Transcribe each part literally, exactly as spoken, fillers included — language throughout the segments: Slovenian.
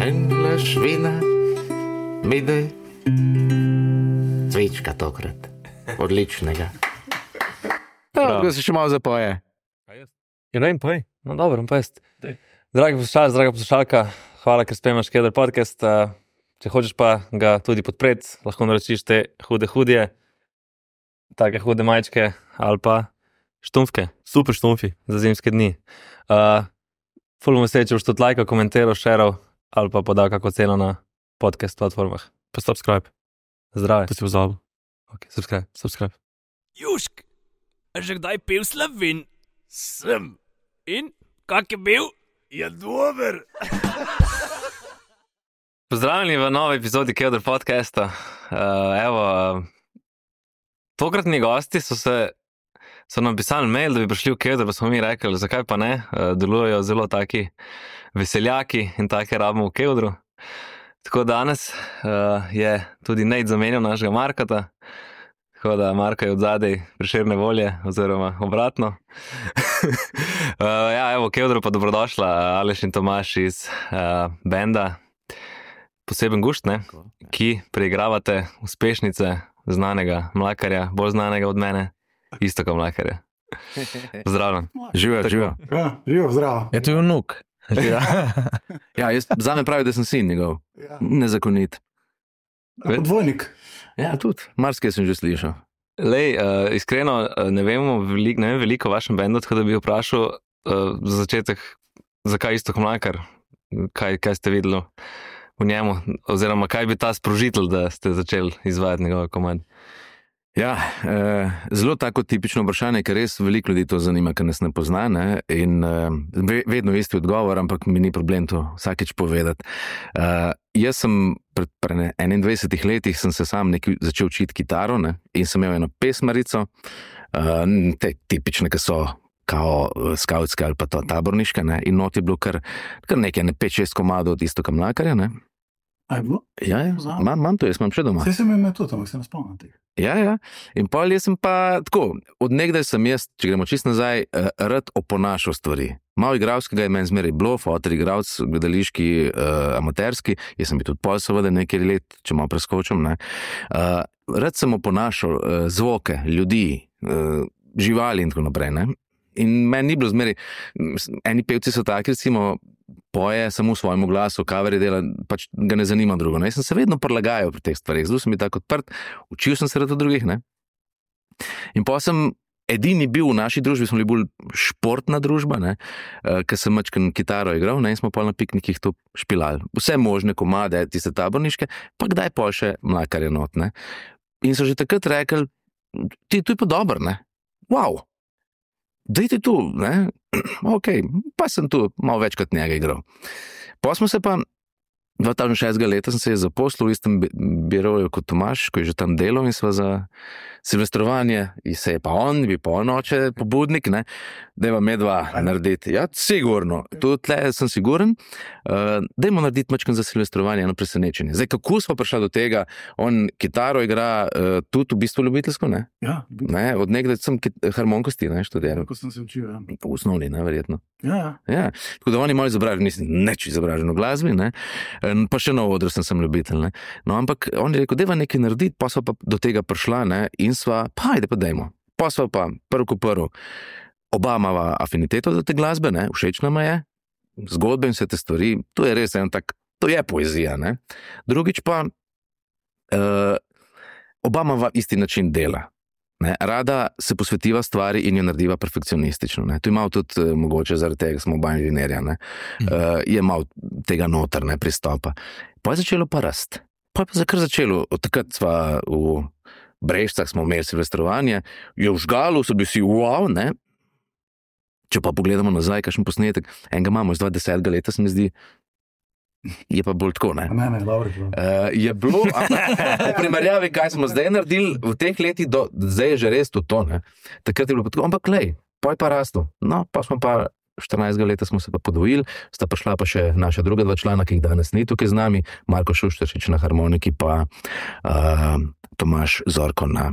Ein Glas vina mi daj. Cvička tokrat. Odličnega. Ja, da se še malo zapoje. Ja, ne vem, poj. No, dobro, pa jest. Dragi poslušalci, draga poslušalka, hvala, ker spremljaš Kedar podcast. Če hočeš pa ga tudi podpreti, lahko naročiš te hude hudje, take hude majčke ali pa štumfke. Super štumfi za zimske dni. Uh, ful bom vesel, če boš tudi lajkal, komentiral, šeral ali pa podal kako ceno na podcast platformah. Pa subscribe. Zdrave. To si pozabil. Ok, subscribe. Subscribe. Jušk, a že kdaj pil Slovin? Sem. In? Kak je bil? Je dober. Pozdravljeni v novi epizodi Kedar podcasta. Uh, evo, uh, tokratni gosti so se so nam pisali mail, da bi prišli v Kedar, pa smo mi rekli, zakaj pa ne, uh, delujejo zelo taki veseljaki in take rabimo v Kedru. Tako danes uh, je tudi Nate zamenjal našega Markata, tako da Marko je od zadej Prešerne volje, oziroma obratno. uh, ja, evo, v Kedru pa dobrodošla Aleš in Tomaš iz uh, benda Poseben gušt, ne, ki preigravate uspešnice znanega mlakarja, bolj znanega od mene, Iztoka Mlakarja. Zdravljen. Živijo, živijo. Ja, živijo, zdravo. Je to vnuk. Ja, ja jaz zame pravi, da sem sin njegov. Ja. Nezakonit. Podvojnik. Ja, tudi. Marsikaj sem že slišal. Lej, uh, iskreno, uh, ne vemo veliko, ne vem veliko o vašem bendu, tako da bi vprašal uh, za začetek, zakaj Iztok Mlakar, kaj, kaj ste videli v njemu, oziroma kaj bi ta sprožitelj, da ste začeli izvajati njegove komande? Ja, eh, zelo tako tipično vprašanje, ker res veliko ljudi to zanima, ker nas ne pozna, ne? In eh, vedno isti odgovor, ampak mi ni problem to vsakeč povedati. Eh, jaz sem pred, pred enaindvajsetih letih sem se sam nekaj začel učiti kitaro, ne? In sem imel eno pesmarico, eh, te tipične, ki so kao skautske ali pa to taborniške, ne? In not je bilo kar, kar nekaj, ne pet šest komadov od Iztoka Mlakarja, ne? A je bilo? Ja, ja, imam, imam to, jaz imam še doma. Vse sem imel tudi, ampak se ne spomnim tega. Ja, ja. In pol jaz sem pa tako, od nekdaj sem jaz, če gremo čisto nazaj, rad oponašal stvari. Malo igralskega je meni zmeraj bilo, fotor igralc, gledališki, uh, amaterski, jaz sem bil tudi pol seveda nekaj let, če malo preskočim, ne. Uh, rad sem oponašal uh, zvoke, ljudi, uh, živali in tako naprej, ne. In meni ni bilo zmeraj, eni pevci so taki, recimo, poje samo v svojem glasu, coverje dela, pač ga ne zanima drugo. Ne? Jaz sem se vedno prilagajal pri teh stvarih, zelo sem bil tako odprt, učil sem se rad od drugih, ne. In pa sem edini bil v naši družbi, smo bili bolj športna družba, ne, ker sem mačken kitaro igral, ne, in smo pol na piknikih to špilali. Vse možne komade, tiste taborniške, pa kdaj pol še Mlakarja not, ne. In so že takrat rekli, ti, to je pa dobro, ne. Wow! Dajte tu, ne, ok, pa sem tu malo več kot njega igral. Pa smo se pa, dva tisoč šestega leta sem se je zaposlil v istem biroju kot Tomaš, ko je že tam delal in sva za silvestrovanje, in se je pa on, bi pa on oče pobudnik, ne, dajmo medva narediti. Ja, sigurno, tudi tle sem siguren, uh, dajmo narediti mačken za silvestrovanje, eno presenečenje. Zdaj, kako smo prišli do tega, on kitaro igra uh, tudi v bistvu ljubiteljsko, ne? Ja, Ne, od nekdaj sem kit- harmonikosti, ne, študiral. kako sem se učil, ja. V osnovni, ne, verjetno. Ja, ja. Ja, tako da on je malo izobražen, nisem neč izobražen v glasbi, ne, pa še na odru sem, sem ljubitelj, ne. No, ampak on je rekel, dajva nekaj narediti, pa sva pa do tega prišla, ne, in sva, pa ajde pa dajmo. Pa sva pa, prv ko prv, oba imava afiniteto za te glasbe, ne, všeč nama je, zgodbe in vse te stvari, to je res en tak, to je poezija, ne. Drugič pa, uh, oba imava isti način dela. Ne, rada se posvetiva stvari in jo narediva perfekcionistično. Ne. To je malo tudi uh, mogoče zaradi tega, smo oba inženirja, ne. Uh, je malo tega noter, ne, pristopa. Pa je začelo pa rast. Pa je pa zakar začelo, od takrat sva v Brežicah smo imeli silvestrovanje, je v Žgalu, so bili vsi wow, ne. Če pa pogledamo nazaj, kakšen posnetek, enega imamo iz dvajsetega leta, se mi zdi, je pa bolj tako, ne. Ne, ne, dobro. Uh, je bilo, v primerjavi, kaj smo zdaj naredili v teh letih, do, zdaj je že res to, to, ne. Takrat je bilo pa tako, ampak lej, pa je pa rastel. No, pa smo pa štirinajstega leta smo se pa podvojili, sta pa šla pa še naša druga dva člana, ki jih danes ni tukaj z nami, Marko Šušteršič na harmoniki, pa uh, Tomaš Zorko na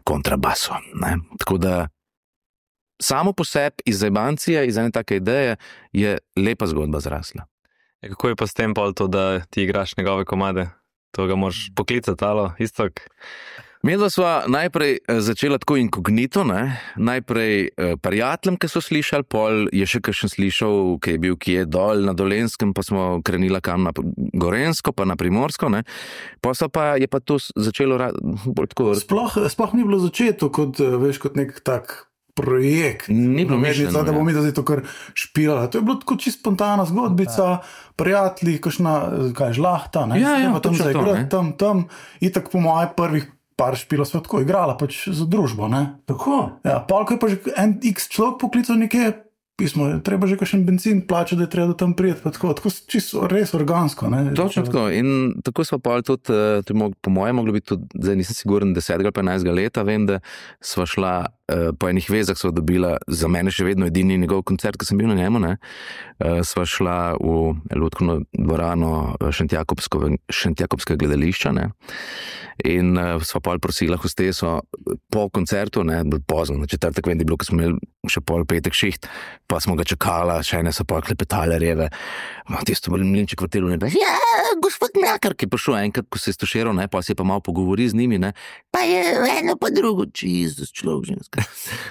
kontrabasu, ne. Tako da samo po sebi iz zajebancije, iz ene take ideje je lepa zgodba zrasla. E, kako je pa s tem pol to, da ti igraš njegove komade? To ga moraš poklicati, alo, istok. Medva sva najprej začela tako inkognito, ne? Najprej eh, prijateljem, ki so slišali, pol je še kakšen slišal, ki je bil, ki je dol na Dolenskem, pa smo krenila kam na Gorensko, pa na Primorsko, ne? Posla pa je pa to začelo ra- bolj tako... Sploh, sploh ni bilo začeto kot, veš, kot nek tak projekt. Ni bilo Mednica, mišljeno, da ja. bomo mi zdaj to kar špilala. To je bilo tako čisto spontana zgodbica, prijatelji, kakšna, kaj, žlahta, ne? Ja, ja, Pa tam točno to, zaigrati, ne. tam, tam. Itak po mojih prvih par špila sva tako igrala, pač za družbo, ne? Tako? Ja, pol, ko je pa že en x človek poklical nekje, pismo, treba že kakšen benzin plačati, da je treba do tam prijeti, pa tako, tako čisto res organsko, ne? Točno tako. In tako smo pa tudi, eh, to je mo- po mojem moglo biti tudi, zdaj nisem siguren, desetega ali pa enajstega leta, vem, da sva šla eh, po enih vezah, sva dobila za mene še vedno edini njegov koncert, ki sem bil na njemu, ne, eh, sva šla v Lutkovno dvorano Šentjakobsko, Šentjakobskega gledališča, ne, in eh, sva pol prosila hosteso po koncertu, ne, bilo pozno, na četrtek vem, da je bilo, ko smo imeli še pol petek šiht, pa smo ga čakala, še ene so pol klepetale reve, no, tisto mlinček vrtelo, ne, ja, gospod Mlakar, ki je prišel enkrat, ko se je stuširal, ne, pa se je pa malo pogovori z njimi, ne, pa je eno pa drugo, Jezus, človek ženska.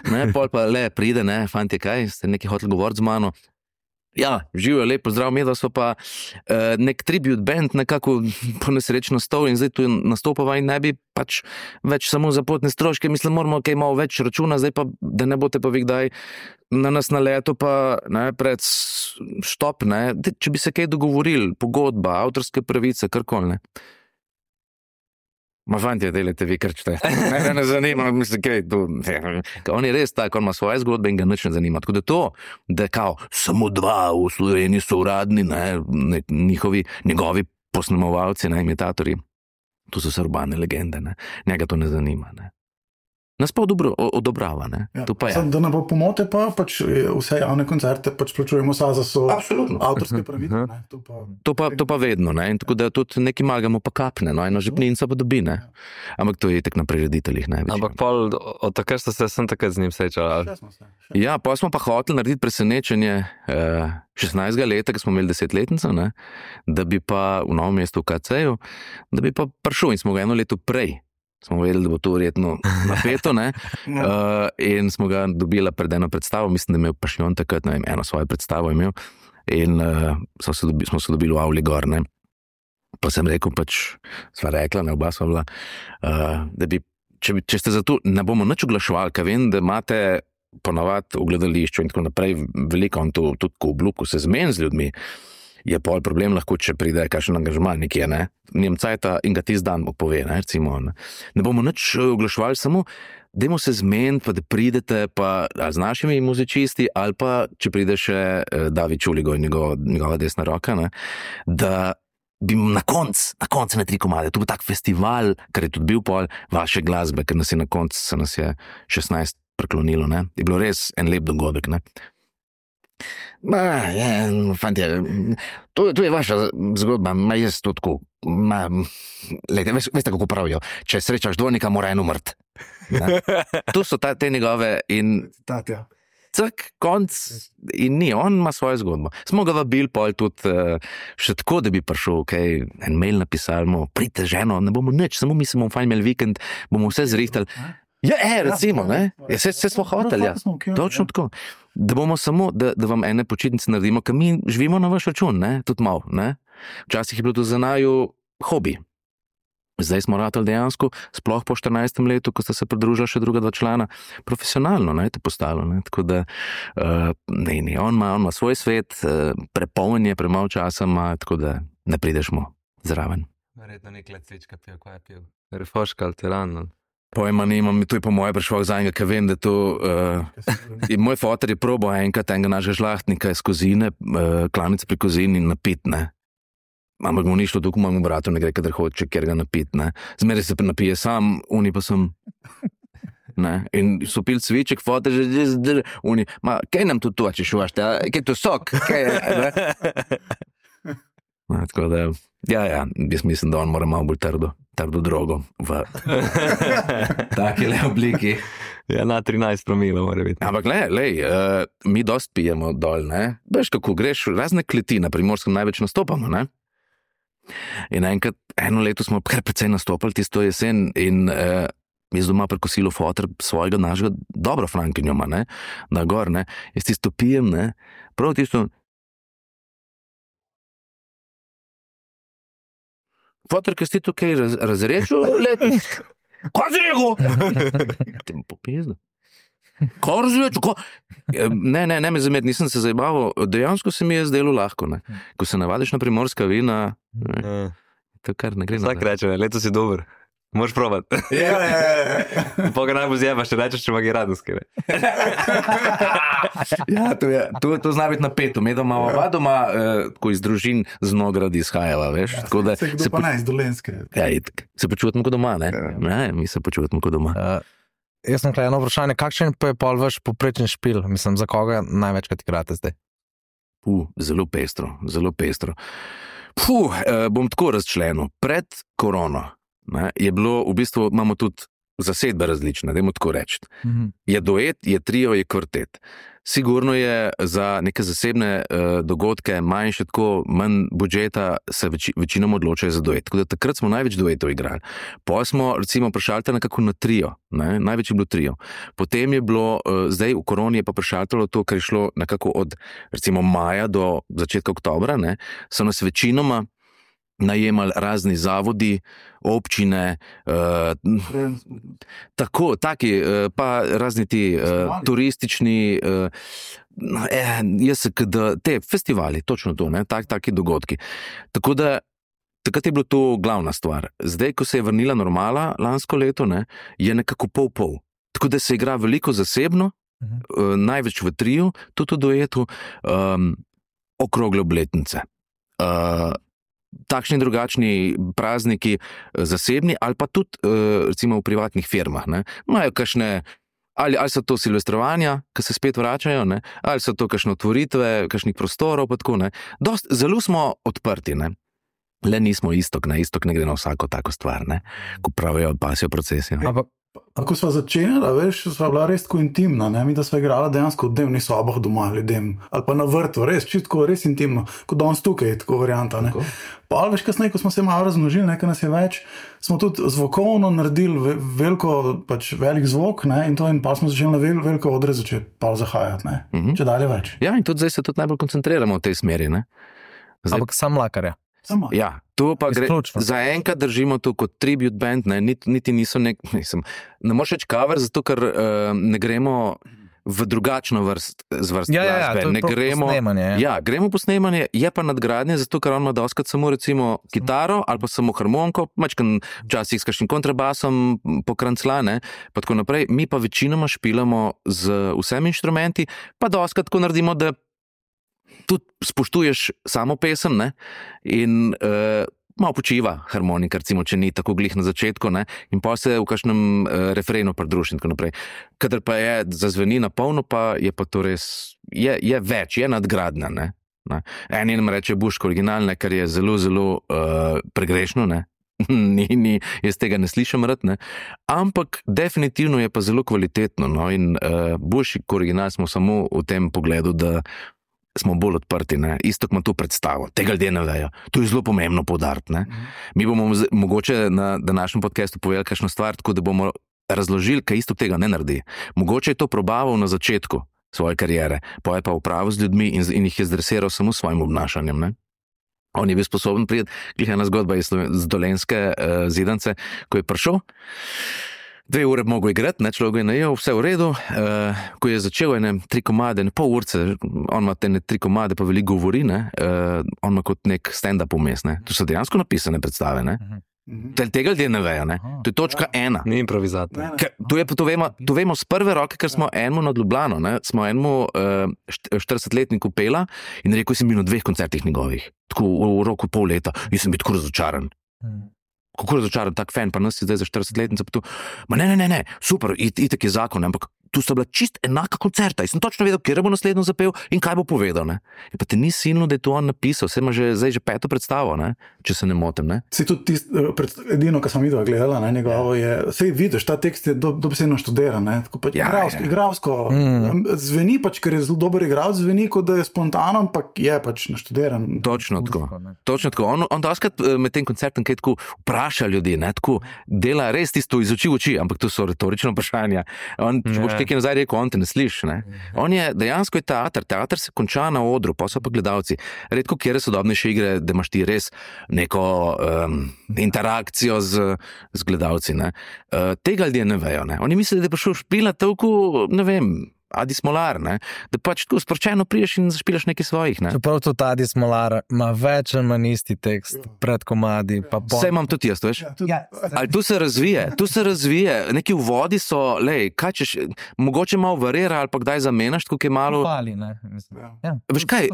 Ne, pol pa le pride, ne, fantje, kaj, ste nekaj hoteli govoriti z mano. Ja, živijo, lepo zdrav, medva so pa uh, nek tribute band nekako po nesreč nastal in zdaj tu nastopava in ne bi pač več samo za potne stroške, mislim, moramo kaj malo več računa, zdaj pa, da ne boste pa vi kdaj na nas na leto pa ne, pred s- štop, ne, Daj, če bi se kaj dogovorili, pogodba, avtorske pravice, karkoli, ne. Ma fantje, delajte vi, kar čete. Mene ne zanima, mislim, kaj tu. On je res tak, on ima svoje zgodbe in ga nič ne zanima. Tako da to, da kao samo dva v Sloveniji so uradni, ne, ne, njihovi, njegovi posnemovalci, ne, imitatorji, to so vse urbane legende, ne. Njega to ne zanima, ne. Nas pa odobro, odobrava, ne. Ja, To pa je. Samo, da ne bo pomote, pa pač eh, vse javne koncerte pač plačujemo sa za so Absolutno. avtorske pravice. Ne? To pa, To pa, to pa vedno, ne. In tako da tudi neki magamo pa kapne, no, eno žepninco pa dobi, ne. Ampak to je itak na prirediteljih, ne. večinoma. Ampak pol, od takrat ste se sem takrat z njim srečali. še smo se, še. Ja, pa smo pa hoteli narediti presenečenje eh, šestnajstega leta, ko smo imeli desetletnico, ne, da bi pa v Novem mestu v K C-ju, da bi pa prišel in smo ga eno leto prej. Smo vedeli, da bo to verjetno napeto, ne, uh, in smo ga dobila pred eno predstavo, mislim, da je imel Pašjon takrat, ne vem, eno svojo predstavo imel in uh, so se dobi, smo se dobili v Avli gor, ne. Pa sem rekel, pač, sva rekla, ne, oba sva bila, uh, da bi, če, bi, če ste za to, ne bomo nič oglaševali, ker vem, da imate ponavadi v gledališču in tako naprej veliko, on to tudi ko obluku se zmeni z ljudmi, je pol problem lahko, če pride kakšen angažma nekje, ne, njem cajta in ga tisti dan mu pove, ne, recimo, ne. Ne bomo nič oglaševali, samo dajmo se zmeniti, pa da pridete pa ali z našimi muzičisti, ali pa če pride še eh, David Čuligo in njegova, njegova desna roka, ne, da bi na konc, na konc na tri komade, to bo tak festival, ker je tudi bil pol vaše glasbe, ker nas je na konc, se nas je šestnajst preklonilo, ne, je bilo res en lep dogodek, ne. Ma, je, fantje, to, to je vaša zgodba, ma jaz to tako, ma, lejte, veš, veste, kako pravijo, če srečaš dvojnika, mora en umrt. Ne? To so ta, te njegove in Tatja. cak, konc in ni, on ima svojo zgodbo. Smo ga vabili pol tudi uh, še tako, da bi prišel, kaj, en mail napisali, mu, pridite ženo, ne bomo nič, samo mi se bomo fajn imeli vikend, bomo vse zrihtali. Ja, e, recimo, ne, ja, se, se smo hoteli, ja. Točno tako. Da bomo samo, da, da vam ene počitnice naredimo, ker mi živimo na vaš račun, ne, tudi malo, ne. Včasih je bilo to za naju hobi. Zdaj smo ratali dejansko, sploh po štirinajstem letu, ko sta se pridružila še druga dva člana, profesionalno, ne, to postalo, ne, tako da, uh, ne, ne, on ima, on ima svoj svet, uh, prepoln je, premalo časa ima, tako da ne prideš mu zraven. Verjetno nek let cvička pil, kaj je pil. Refoška, alteran. Pojma nimam, to je po moje prišlo za enega, ker vem, da to... Uh, in moj foter je probal enkrat enega našega žlahtnika iz Kozine, uh, klanice pri Kozini napit, ne. Ampak mu ni šlo, tako mojemu bratu ne gre, kadar hoče, ker ga napit, ne. Zmeraj se pa napije sam, oni pa sem... Ne. In so pili cviček, foter, že, že, že, oni, ma, kaj nam tu toči šuvašte, kaj to sok, kaj je, ne. No, tako da, ja, ja, jaz mislim, da on mora malo bolj trdo, trdo drogo v taki le obliki. Ja, na trinajst promilov mora biti. Ampak le, lej, uh, mi dost pijemo dol, ne? Veš, kako greš, razne kleti na Primorskem največ nastopamo, ne? In enkrat, eno leto smo kar precej nastopali tisto jesen in uh, jaz doma pri kosilu fotor svojega našega dobro frankinjoma, ne? Na gor, ne? Jaz tisto pijem, ne? Prav tisto... Fotor, kaj si tukaj raz, razrešil letni? Kaj si rekel? Te mu popizno. Kaj razrešil? Ko... Ne, ne, ne me zamet, nisem se zajebaval. Dejansko se mi je zdelo lahko, ne? Ko se navadiš na primorska vina, ne? To kar ne gre. Vsak reče, leto si dober. Moš provat. Ja, ja, ja. Poga najbolj zjebaš, če rečeš, če magi radosti. Ja, to, je, to, to zna biti napeto. Me doma, oba doma, eh, ko iz družin z Nograd izhajala, veš. Ja, tako da se kdo pa ne iz Dolenske. Ja, itak. Se počutimo kot doma, ne? Ja. Ne, mi se počutimo kot doma. Uh, jaz sem tukaj eno vprašanje, kakšen pa je pol vaš poprečen špil? Mislim, za koga največkrat igrate zdaj? Puh, zelo pestro, zelo pestro. Puh, eh, bom tako razčlenil. Pred korono ne, je bilo, v bistvu imamo tudi zasedbe različne, dajmo tako reči. Mm-hmm. Je duet, je trio, je kvartet. Sigurno je za neke zasebne uh, dogodke manjše, tako manj budžeta se več, večinom odločajo za duet. Tako da takrat smo največ duetov igrali. Potem smo recimo prešaltali nekako na trio, ne? Največ je bilo trio. Potem je bilo, uh, zdaj v koroni je pa prešaltalo to, kar je šlo nekako od recimo maja do začetka oktobra, ne? So nas večinoma najemali razni zavodi, občine, uh, tako, taki, uh, pa razni ti uh, turistični, uh, eh, jaz se, da, te festivali, točno to, ne, tak, taki dogodki. Tako da, takrat je bilo to glavna stvar. Zdaj, ko se je vrnila normala lansko leto, ne, je nekako pol-pol. Tako da se igra veliko zasebno, uh-huh. uh, največ v triju, tudi v duetu, um, okrogle obletnice. Uh, takšni drugačni prazniki zasebni ali pa tudi recimo v privatnih firmah, ne, imajo kakšne, ali, ali so to silvestrovanja, ki se spet vračajo, ne, ali so to kakšne otvoritve, kakšnih prostorov, pa tako, ne. Dost, zelo smo odprti, ne. Le nismo istok, ne, istok ne gre na vsako tako stvar, ne, ko pravijo pasijo procesijo. Ampak Ko smo začenjali, veš, sva bila res tako intimna, ne? Mi da sva igrala dejansko v dnevnih sobah doma ljudem, ali pa na vrtu, res, čitko, res intimno, kot danes tukaj, tako varianta, ne. Pa ali veš, kasneje, ko smo se malo razmnožili, nekaj nas je več, smo tudi zvokovno naredili veliko, pač velik zvok, ne, in to in pa smo začeli na vel, veliko odre začeti pa zahajati, ne, mm-hmm. če dalje več. Ja, in tudi zdaj se tudi najbolj koncentriramo v tej smeri, ne. Zdaj... Ampak sam Mlakarja. Sama. Ja, to pa gre, za enkrat držimo to kot tribute band, ne, niti, niti niso nek, mislim, ne moreš reči cover, zato ker uh, ne gremo v drugačno vrst, zvrst ja, glasbe. Ja, ja, ne gremo, posnemanje. Ja. ja, gremo posnemanje, je pa nadgradnje, zato ker on ima doskrat samo recimo kitaro ali pa samo harmoniko, mačkan včasih s kakšnim kontrabasom pokrancla, ne, pa tako naprej. Mi pa večinoma špilamo z vsemi inštrumenti, pa doskrat tako naredimo, da tudi spoštuješ samo pesem, ne, in uh, malo počiva harmonika, recimo, če ni tako glih na začetku, ne, in pa se v kakšnem uh, refrenu pridruži in tako naprej. Kadar pa je zazveni na polno, pa je pa to res, je, je več, je nadgradna, ne. ne. En nam reče Buško originalne, kar je zelo, zelo uh, pregrešno, ne. Ni, ni, jaz tega ne slišam rad, ne. Ampak definitivno je pa zelo kvalitetno, no, in uh, Buško original smo samo v tem pogledu, da smo bolj odprti, ne. Istok ima to predstavo, tega ljudje ne vejo. To je zelo pomembno poudariti, ne. Mi bomo z, mogoče na današnjem podcastu povedali kakšno stvar, tako da bomo razložili, kaj Istok tega ne naredi. Mogoče je to probaval na začetku svoje kariere, pa je pa upravil z ljudmi in, in jih je zdresiral samo s svojim obnašanjem, ne. On je bil sposoben priti, glih ena zgodba iz Dolenske uh, Zidance, ko je prišel, dve ure bi mogel igrati, ne, človek je najel, vse v redu, uh, ko je začel ene tri komade, ne pol urce, on ima te tri komade, pa veliko govori, ne, uh, on ima kot nek stand-up vmes, ne, to so dejansko napisane predstave, ne, mm-hmm. tega ljudje ne vejo, ne, to je točka ja. ena. Ni improvizator. To, je, to, vemo, to vemo z prve roke, ker smo enemu nad Ljubljano, ne, smo enemu uh, štiridesetletniku pela in rekel sem bil na dveh koncertih njegovih, tako v, v roku pol leta, in sem bil tako razočaran. Mm. Kako razočaran tak fan, pa nas je zdaj za štiridesetletnico, pa tu, ma ne, ne, ne, ne, super, it, itak je zakon, ampak tu sta bila čist enaka koncerta. Jaz sem točno vedel, kje bo naslednjo zapel in kaj bo povedal. Ne? In pa te ni silno, da je to on napisal, vse ima že, zdaj že peto predstavo, ne? Če se ne motim. Ne? Si tudi tist, edino, kar sem videla, gledala, ne, njegovo je, sej vidiš, ta tekst je do, dobesedno študiran, ne, tako pač Ja, igravsko, ja. igravsko mm. zveni pač, ker je zelo dober igralec, zveni, kot da je spontano, ampak je pač naštudiran. Točno tako. Točno tako. On, on doskrat med tem koncertom kaj tako vpraša ljudi, ne, tako dela res tisto iz oči v oči, ampak to so retorična vprašanja. On, če boš nekaj nazaj rekel, on te ne sliši, ne. On je, dejansko je teater, teater se konča na odru, pa so pa gledalci. Redko kjer sodobnejše igre, da imaš ti res neko um, interakcijo z, z gledalci, ne. Uh, tega ljudje ne vejo, ne. Oni mislijo, da je prišel špila toliko, ne vem, Adi Smolar, ne, da pač tako sproščeno priješ in zašpilaš nekaj svojih, ne. Čeprav tudi Adi Smolar ima več ali manj isti tekst pred komadi, pa po... Vse imam tudi jaz, veš. Ja, tudi, Ja. Ali tu se razvije, tu se razvije, neki uvodi so, lej, kaj češ, mogoče malo varira ali pa kdaj zamenjaš, tako je malo, Pali, ne, mislim. Ja. Ja, veš kaj,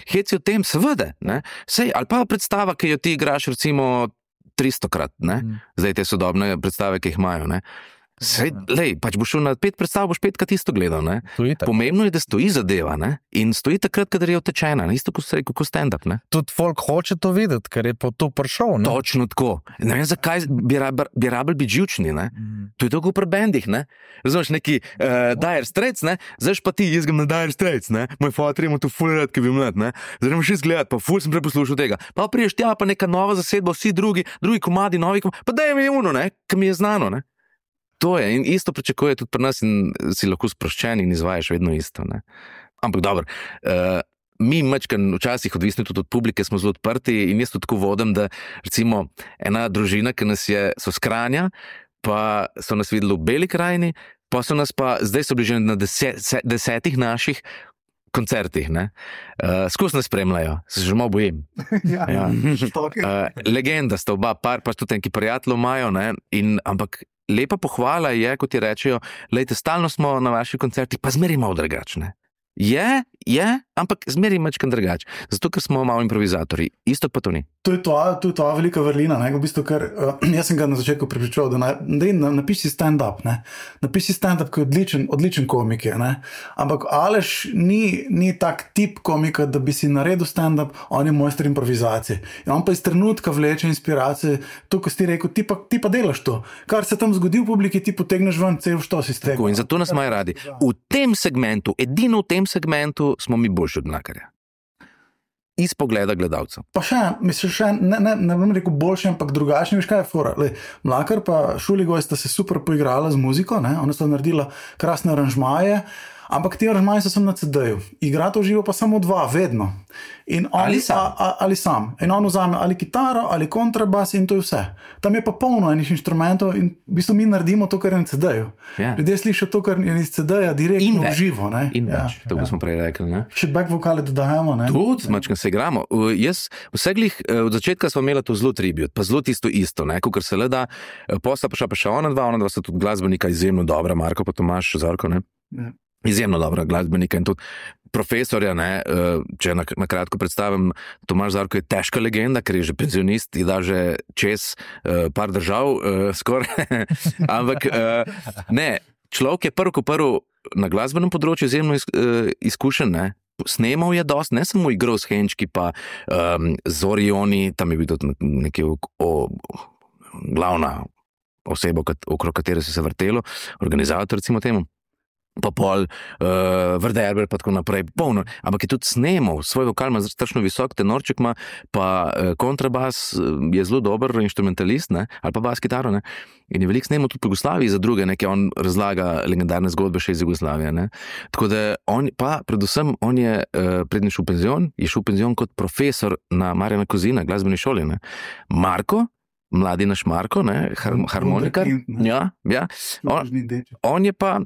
heci o tem, seveda, ne, sej, ali pa predstava, ki jo ti igraš recimo tristokrat, ne, Mm. zdaj te sodobne predstave, ki jih imajo, ne. Sej, lej, pač boš šel na pet predstav, boš petkrat isto gledal, ne. To je tako. Pomembno je, da stoji zadeva, ne, in stoji takrat, kadar je utečena, ne, isto kot se rekel, kot stand-up, ne. Tudi folk hoče to videti, ker je po to prišel, ne? Točno tako. Ne vem, zakaj bi rabili bi rabili biti živčni, ne. Mm. To je tako pri bendih, ne. Razumeš, neki uh, Dire Straits, ne, zdaj pa ti, jaz grem na Dire Straits, ne, moj fotor ima tu ful rad, ki bi mlad, ne, zdaj gremo še izgledati, pa ful sem preposlušal tega, pa priješ tja, pa neka nova zasedba, vsi drugi, drugi komadi, novi komadi, pa daj mi uno, ne, ki mi je znano, ne. To je in isto pričakuje tudi pri nas in si lahko sproščen in izvajaš vedno isto, ne. Ampak dobro, uh, mi mačkan včasih odvisni tudi od publike, smo zelo odprti in jaz tudi tako vodim, da recimo ena družina, ki nas je, so s Kranja, pa so nas videli v Beli krajini, pa so nas pa, zdaj so bili že na deset, desetih naših koncertih, ne. Uh, skozi nas spremljajo, se že malo bojim. Ja, Ja. Štoke. Uh, legenda sta oba par, pa tudi neki prijatelji imajo, ne, in ampak lepa pohvala je, kot ti rečejo, lejte, stalno smo na vaših koncertih, pa zmeri malo drugačne. Je, je, ampak zmeri mačkan drugač. Zato, ker smo malo improvizatorji. Isto pa to ni. To je to, to je to velika vrlina, ne, v bistvu, ker uh, jaz sem ga na začetku prepričal, da, naj, da na, napiši stand-up, ne, napiši stand-up, ki je odličen, odličen komik je, ne, ampak Aleš ni, ni tak tip komika, da bi si naredil stand-up, on je mojster improvizacije. In on pa iz trenutka vleče inspiracije, to, ko si ti rekel, ti pa, ti pa delaš to, kar se tam zgodi v publiki, ti potegneš ven, cel što si stegnil. Tako, in zato nas imajo radi. V tem segmentu, edino v tem segmentu smo mi boljši od Mlakarja. Iz pogleda gledalcev. Pa še, mislim, še ne, ne, ne bom rekel boljši, ampak drugačni, veš kaj je fora. Lej, Mlakar pa Šuligoj sta se super poigrala z muziko, ne? Ona sta naredila krasne aranžmaje, ampak ti aranžmaji so sem na ce deju. Igrata v živo pa samo dva, vedno. In on, Ali sam. A, a, ali sam. In on vzame ali kitaro, ali kontrabas in to je vse. Tam je pa polno enih inštrumentov in v bistvu mi naredimo to, kar je na ce deju. Ja. Ljudje slišijo to, kar je iz ce deja In direktno v več. živo. Ne? In več, tako smo prej rekli, ne. Še back vokale dodajamo. Ne? Tudi, mačkam se igramo. Uh, Jaz, vseglih, uh, od začetka smo imeli to zelo tribut, pa zelo tisto isto, ne, kakor se le da. Uh, Posla pa še pa še ona dva, ona dva sta tudi glasbenika izjemno dobra, Marko pa Tomaž Zarko, ne. Ja. Izjemno dobra glasbenika in tudi profesorja, ne, uh, če na, na kratko predstavim, Tomaž Zarko je težka legenda, ker je že penzionist, je da že čez uh, par držav, uh, skoraj, ampak uh, ne, človek je prvo ko prvo na glasbenem področju izjemno iz, uh, izkušen, ne. Snemal je dost, ne samo igral s Henčki, pa um, z Orioni, tam je bil tudi nekaj o, o, glavna oseba, okrog katere se je vrtelo, organizator, recimo temu. Pa pol, uh, Vrderber, pa tako naprej, polno, ampak je tudi snemal, svoj vokal ima strašno visok, tenorček ima, pa uh, kontrabas uh, je zelo dober instrumentalist, ne, ali pa bas kitaro, ne, in je veliko snemal tudi po Jugoslaviji za druge, nekaj on razlaga legendarne zgodbe še iz Jugoslavije, ne, tako da on, pa predvsem on je, uh, prednji šel v penzion, je šel v penzion kot profesor na Marjana Kozina, glasbeni šoli, ne, Marko, mladi naš Marko, ne, har, harmonikar, ja, ja, on, on je pa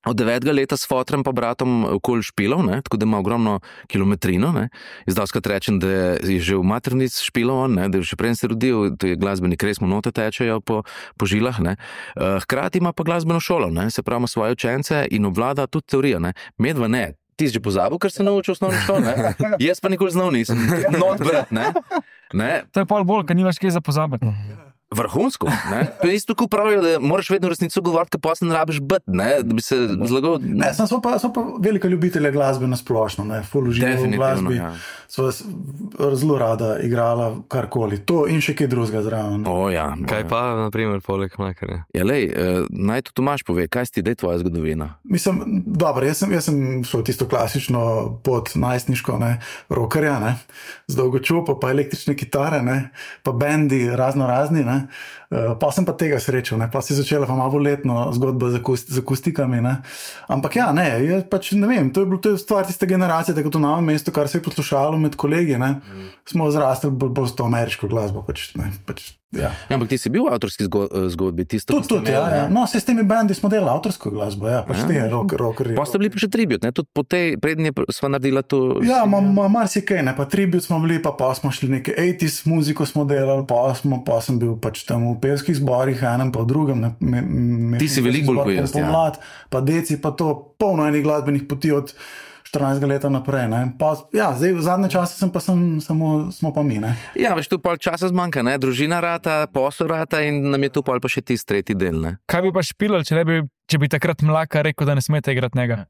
od devetega leta s fotrem pa bratom okoli špilov, ne, tako da ima ogromno kilometrino, ne. Jaz doskrat rečem, da je že v maternic špilov on, ne, da je še prej se rodil, to je glasbenik, res mu note tečejo po, po žilah, ne. Hkrati ima pa glasbeno šolo, ne, se pravi ima svoje učence in obvlada tudi teorijo, ne. Medva ne. Ti si že pozabil, ker se naučil osnovno šolo, ne? Jaz pa nikoli znal nisem. Not brat, ne? Ne? To je pol bolj, ker nimaš kaj za pozabiti. Vrhunsko. Ne? To je isto, ko pravijo, da moraš vedno resnico govoriti, ker posle ne rabiš biti, ne? Da bi se zlagal. Ne, sem, so, pa, so pa velika ljubitelja glasbe na splošno, ne, full uživo v glasbi. Ja. So zelo rada igrala karkoli. To in še kaj drugega zraven. O, ja. Kaj pa, na primer, poleg mlekarja? Ja, lej, uh, naj to Tomaž pove, kaj si ti, da je tvoja zgodovina? Mislim, dobro, jaz sem, jaz sem šel tisto klasično pot najstniško, ne, rockerja, ne, z dolgočupo, pa električne kitare, ne, pa bendi razno razni, ne. Uh, pa sem pa tega srečal, ne, pa si začela pa malo letno zgodba z, akust, z akustikami, ne. Ampak ja, ne, je pač, ne vem, to je bilo, to je stvar tiste generacije, tako to Novem mestu, kar se je poslušalo med kolegi, ne, mm. smo zrastli bolj bolj s to ameriško glasbo, pač, ne, pač, ja. Ja, ampak ti si bil v avtorski zgodbi, tisto, Tudi, tudi, ja, ja. No, se s temi bendi smo delali avtorsko glasbo, ja, pač ja. Te rock, rockerji. Pa ste bili pa še tribut, ne, tudi po tej prednje sva naredila to. Ja, ma, ma, marsikaj, ne, pa tribut smo bili, pa pa smo šli neke osemdesete muziko smo delali, pa smo, pa sem bil pač tam v pevskih zborih, enem pa v drugem. Ne, me, me, ti si veliko bolj pojest, ja. Pomlad, pa deci, pa to polno enih glasbenih poti od štirinajstega leta naprej, ne. Pa, ja, zdaj v zadnje čase sem pa sem, samo, smo pa mi, ne. Ja, veš, tu pol časa zmanjka, ne, družina rata, posel rata in nam je tu pol pa še tisti tretji del, ne. Kaj bi pa špilal, če, bi, če bi takrat Mlaka rekel, da ne smete igrati njega?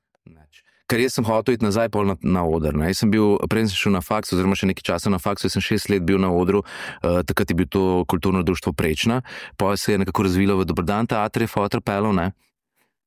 Ker jaz sem hotel iti nazaj pol na, na oder. Ne. Jaz sem bil, prej sem šel na faks, oziroma še nekaj časa na faksu, jaz sem šest let bil na odru, uh, takrat je bil to kulturno društvo Prečna, pa se je nekako razvilo v Dobrodan teatr, je fotor pelov, ne.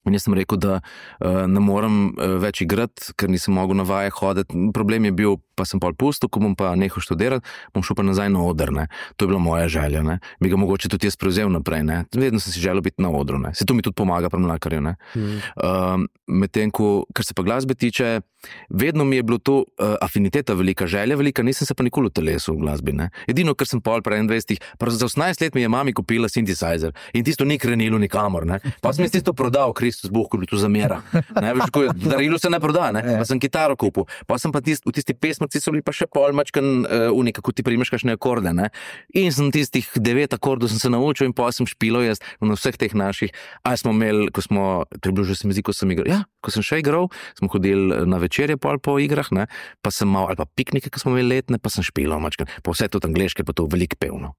In jaz sem rekel, da uh, ne morem uh, več igrati, ker nisem mogel na vaje hoditi. Problem je bil, pa sem pol pustil, ko bom pa nehal študirati, bom šel pa nazaj na oder, ne. To je bila moja želja, ne. Bi ga mogoče tudi jaz prevzel naprej, ne. Vedno sem si želel biti na odru, ne. Se to mi tudi pomaga pri Mlakarju, ne. Mm. Uh, medtem, ko, kar se pa glasbe tiče, vedno mi je bilo to uh, afiniteta velika, želja velika, nisem se pa nikoli utelesil v glasbi, ne. Edino, ker sem pol pri enaindvajsetih, pa za osemnajst let mi je mami kupila synthesizer in tisto ni krenilo nikamor, ne. Pa sem jaz tisto prodal, Kristus Bog, ko bi tu zamera. Ne, veš, ko je, darilo se ne proda, ne. Pa sem kitaro kupil. Pa sem pa tist, v tisti pesmrci so bili pa še pol mačkan uh, unika, ko ti primeš kakšne akorde, ne. In sem tistih devet akordov sem se naučil in pa sem špilo jaz na vseh teh naših. A smo imeli, ko smo, to je bilo že se mi zdi, ko sem igral, ja, ko sem še igral, smo hodili na večerje pol po igrah, ne, pa sem mal, ali pa piknike, ko smo imeli letne, pa sem špilo mačkan. Pa vse to angleške, pa to veliko pevno.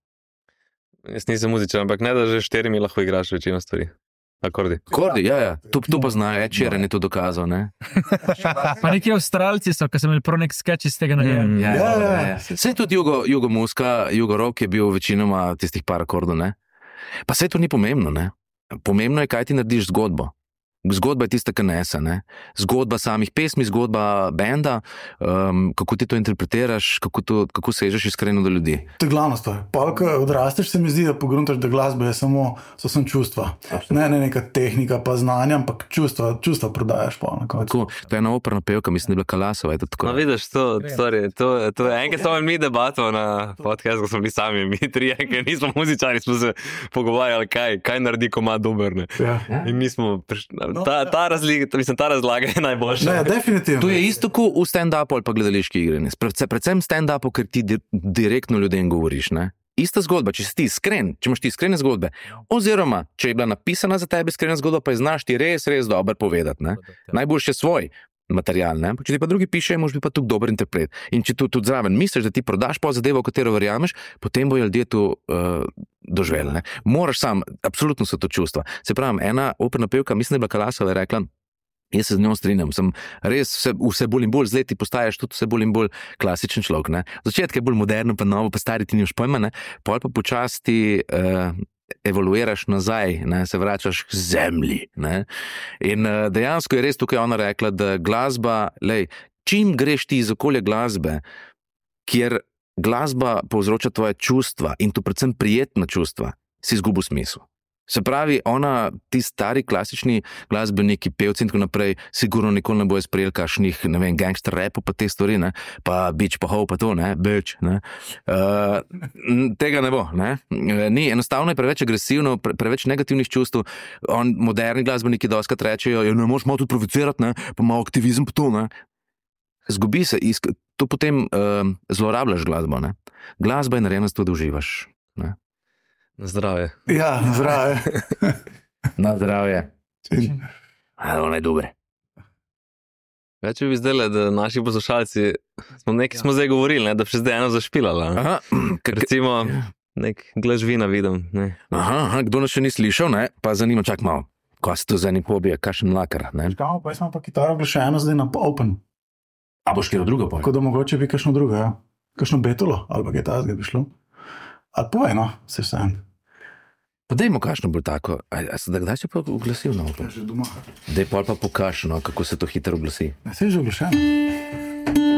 Jaz nisem muzičan, ampak ne, da že štirimi lahko igraš večino stvari. Akordi. Akordi, ja, ja. To, to pa znajo, Ed Sheeran je to dokazal, ne? Pa neki Avstralci so, ko sem imeli prav nek sketch iz tega nagrada. Mm, ja, ja, ja, ja. Sej tudi jugo, jugo muska, jugo rock je bil večinoma tistih par akordov, ne? Pa sej to ni pomembno, ne? Pomembno je, kaj ti narediš zgodbo. Zgodba je tista, ki nese, ne? Zgodba samih pesmi, zgodba benda, um, kako ti to interpretiraš, kako, to, kako sežeš iskreno do ljudi. To je glavna stvar. Pa, ko odrasteš, se mi zdi, da pogruntaš, da glasba je samo, so sem čustva. Ne, ne neka tehnika pa znanja, ampak čustva, čustva prodajaš pa na koncu. To je ena operna pevka, mislim, da je bila Kalasova, je to tako. No, vidiš, to, sorry, to, to je enkrat smo mi debato na podcast, ko smo bili sami, mi trije, ker nismo muzičari, smo se pogovarjali, kaj, kaj naredi, ko ima dober, ne. Ja. In mi smo prišli, Ta, ta, razliga, mislim, ta razlaga je najboljša. Ne, definitivno. To je isto kot v stand-upu ali pa gledališki igri. Predvsem stand-upu, ker ti di- direktno ljudem govoriš. Ne? Ista zgodba, če si ti iskren, če imaš ti iskrene zgodbe, oziroma če je bila napisana za tebe iskrena zgodba, pa je znaš ti res, res dobro povedati. Ne? Najboljše svoj material. Ne? Če ti pa drugi pišejo, moraš biti pa tudi dober interpret. In če tu tudi zraven misliš, da ti prodaš po zadevo, v katero verjameš, potem bojo ljudje tu uh, doživeli. Ne? Moraš sam, absolutno so to čustva. Se pravi, ena operna pevka, mislim, da je bila Kalasova, je rekla, jaz se z njo strinjam, sem res vse, vse bolj in bolj z leti postaješ tudi vse bolj in bolj klasičen človek. Ne? Začetek je bolj moderno, pa novo, pa stari ti nimaš pojma, ne? Pol pa počasti uh, evoluiraš nazaj, ne? Se vračaš k zemlji. Ne? In uh, dejansko je res tukaj ona rekla, da glasba, lej, čim greš ti iz okolja glasbe, kjer glasba povzroča tvoje čustva in to predvsem prijetna čustva, si izgubil smisel. Se pravi, ona, ti stari klasični glasbeniki, pevci in tako naprej, sigurno nikoli ne bojo sprejeli kakšnih, ne vem, gangster rapov pa te stvari, ne, pa bitch, pa ho, pa to, ne, bitch, ne. Uh, tega ne bo, ne. Ni, enostavno je preveč agresivno, pre, preveč negativnih čustv. On, moderni glasbeniki doskrat rečejo, ja, ne, moraš malo tudi provocirati, ne, pa malo aktivizem pa to, ne. Zgubi se, isk, to potem uh, zlorabljaš glasbo, ne. Glasba je narejena zato, da uživaš, ne. Na zdravje. Ja, na zdravje. Na zdravje. Ono je dobre. Več bi zdaj, da naši poslušalci, smo nekaj smo zdaj govorili, ne, da bi še zdaj eno zašpilala. Aha. Recimo, nek glaž vina vidim. Ne. Aha, aha, kdo nas še ni slišal, ne? Pa zanima, čak malo. Kaj se to za eni hobija, kakšen lakar, ne? Čakamo, pa jaz imam pa kitaro oglašeno zdaj na open. A boš kjer drugo pojel? Tako da mogoče bi kakšno drugo, ja. Kakšno betulo, ali pa kaj tazga bi šlo. Ali povej, no, se vsem. Pa dajmo kakšno bolj tako. A, a se da kdaj si pa oglasil na open? Že doma. Daj pol pa pokaž, no, kako se to hitro oglasi. Ne, se je že oglašeno.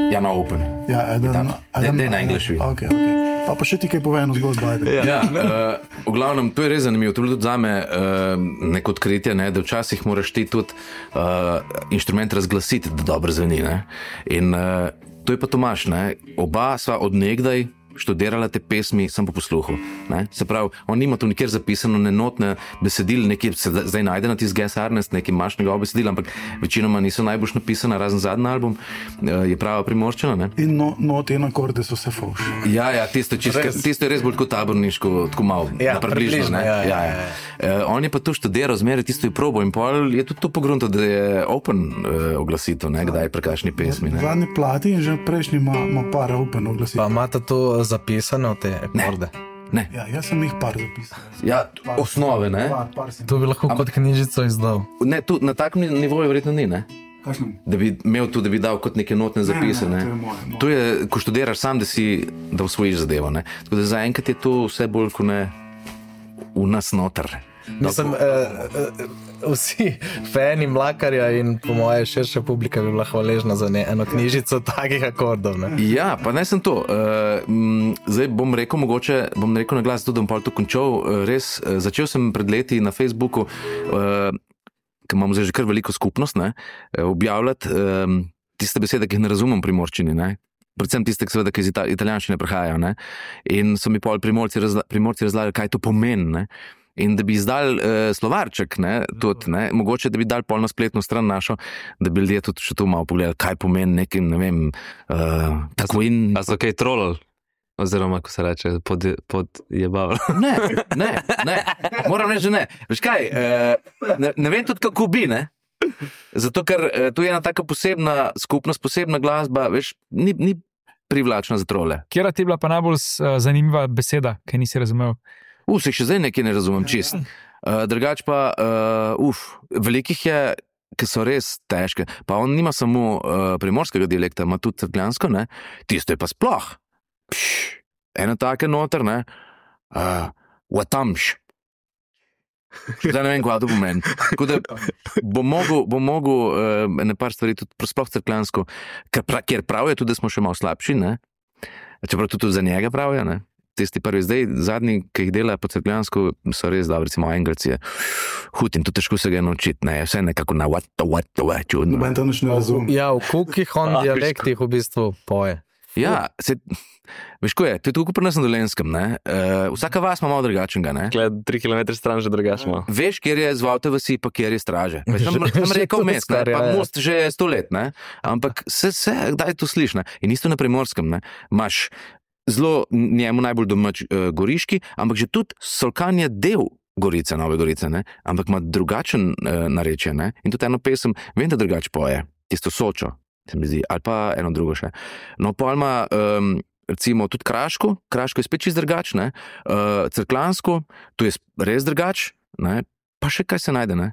Ja, na open. Ja, eden, Daj, daj na English vin. Ok, ok. Pa pa še ti kaj povej eno zgodbo, ajde. Ja, uh, v glavnem, to je res zanimivo. To je bilo tudi zame uh, neko odkritje, ne, da včasih moraš ti tudi uh, inštrument razglasiti, da dobro zveni. Ne. In uh, to je pa Tomaž, ne. Oba sva od nekdaj študirala te pesmi sam po posluhu. Ne? Se pravi, on nima tu nikjer zapisano nenotne besedil, nekaj se zdaj najde na tisti Guess Ernest, nekaj imaš njegov besedil, ampak večinoma niso najboljš napisana, razen zadnji album, je prava primorščina. Ne? In no, note in akorde so vse fauš. Ja, ja, tisto, čisto, tisto je res bolj kot taborniško, tako malo, Ja, na približno. približno, Ne? ja, ja, Ja, ja. Uh, on je pa to študiral, zmeraj tisto je probo in pol je tudi to pogrunto, da je open uh, oglasitev, ne, kdaj pri kakšni pesmi. Ne? Zadnji plati in že prejšnji ima, ima par open oglasitev. Pa imate to zapisane v te akorde? Ne. Ja, jaz sem jih par zapisal. Ja, osnove, ne? Par, par sem. To bi lahko kot knjižico izdal. Ne, tu na takem nivoju verjetno ni, ne? Kakšnem? Da bi imel tu, da bi dal kot neke notne zapise. ne, Ne, to je moje, moje. To je, ko študiraš sam, da si, da usvojiš zadevo. Ne? Tako da zaenkrat je to vse bolj kot ne v nas noter. Mislim, eh, eh, vsi fani Mlakarja in po moje širša publika bi bila hvaležna za ne, eno knjižico takih akordov. Ne? Ja, pa ne sem to. Uh, m, zdaj bom rekel, mogoče bom rekel na glas, tudi da bom pol to končal. Uh, res, uh, začel sem pred leti na Facebooku, uh, ker imamo zdaj že kar veliko skupnost, ne, uh, objavljati um, tiste besede, ki jih ne razumem pri morščini, ne. Predvsem tiste, seveda, ki iz ita italijanščine prihajajo. Ne. In so mi pol primorci, razla primorci razlagali, kaj to pomeni. Ne. In da bi izdal uh, slovarček, ne, tudi, ne, mogoče da bi dal pol na spletno stran našo, da bi ljudje tudi še to malo pogledali, kaj pomeni nekim, ne vem, uh, tako in... A so kaj trolali? Oziroma, ko se reče, pod, pod jebavali. Ne, ne, ne, moram reči, že ne. Veš kaj, uh, ne, ne vem tudi, kako bi, ne? Zato, ker uh, to je ena taka posebna skupnost, posebna glasba, veš, ni, ni privlačna za trole. Kjera ti je bila pa najbolj uh, zanimiva beseda, ki nisi razumel? Uf, se še zdaj nekaj ne razumem čist. Uh, drugač pa, uh, uf, velikih je, ki so res težke. Pa on nima samo uh, primorskega dialekta, ima tudi cerkljansko, ne? Tisto je pa sploh. Pš, eno take noter, ne? Uh, Vatamš. Zdaj ne vem, kaj to pomeni. Tako da bom mogel, bom mogel uh, ene par stvari tudi sploh cerkljansko, ker, pra, ker pravijo tudi, da smo še malo slabši, ne? Čeprav tudi za njega pravijo, ne? Tisti prvi, zdaj zadnji, ki jih dela po cerkljansko, so res dobri, recimo Engelci je hud in to težko se ga naučiti, ne, vse nekako na what, what, what, čudno. Noben to nič ne razumem. Ja, v kolikih on dialektih v bistvu poje. Ja, se, veš ko je, to je tako pri nas na Dolenjskem, ne, uh, vsaka vas ima malo drugačnega, ne. Gled, tri kilometre stran že drugačno. Veš, kjer je zvolte vasi, pa kjer je straže. Veš, tam, tam rekel mest, ne, pa most že sto let, ne, ampak se, se, kdaj to sliš, ne, in isto na Primorskem, ne, imaš zelo njemu najbolj domač uh, Goriški, ampak že tudi Solkan je del Gorice, Nove Gorice, ne? Ampak ima drugačen uh, narečje, ne? In tudi eno pesem, vem, da drugače poje, tisto Sočo, se mi zdi, ali pa eno drugo še. No, pa ima um, recimo tudi Kraško, Kraško je spet čist drugač, ne? Uh, Cerkljansko, tu je res drugač, ne? Pa še kaj se najde, ne?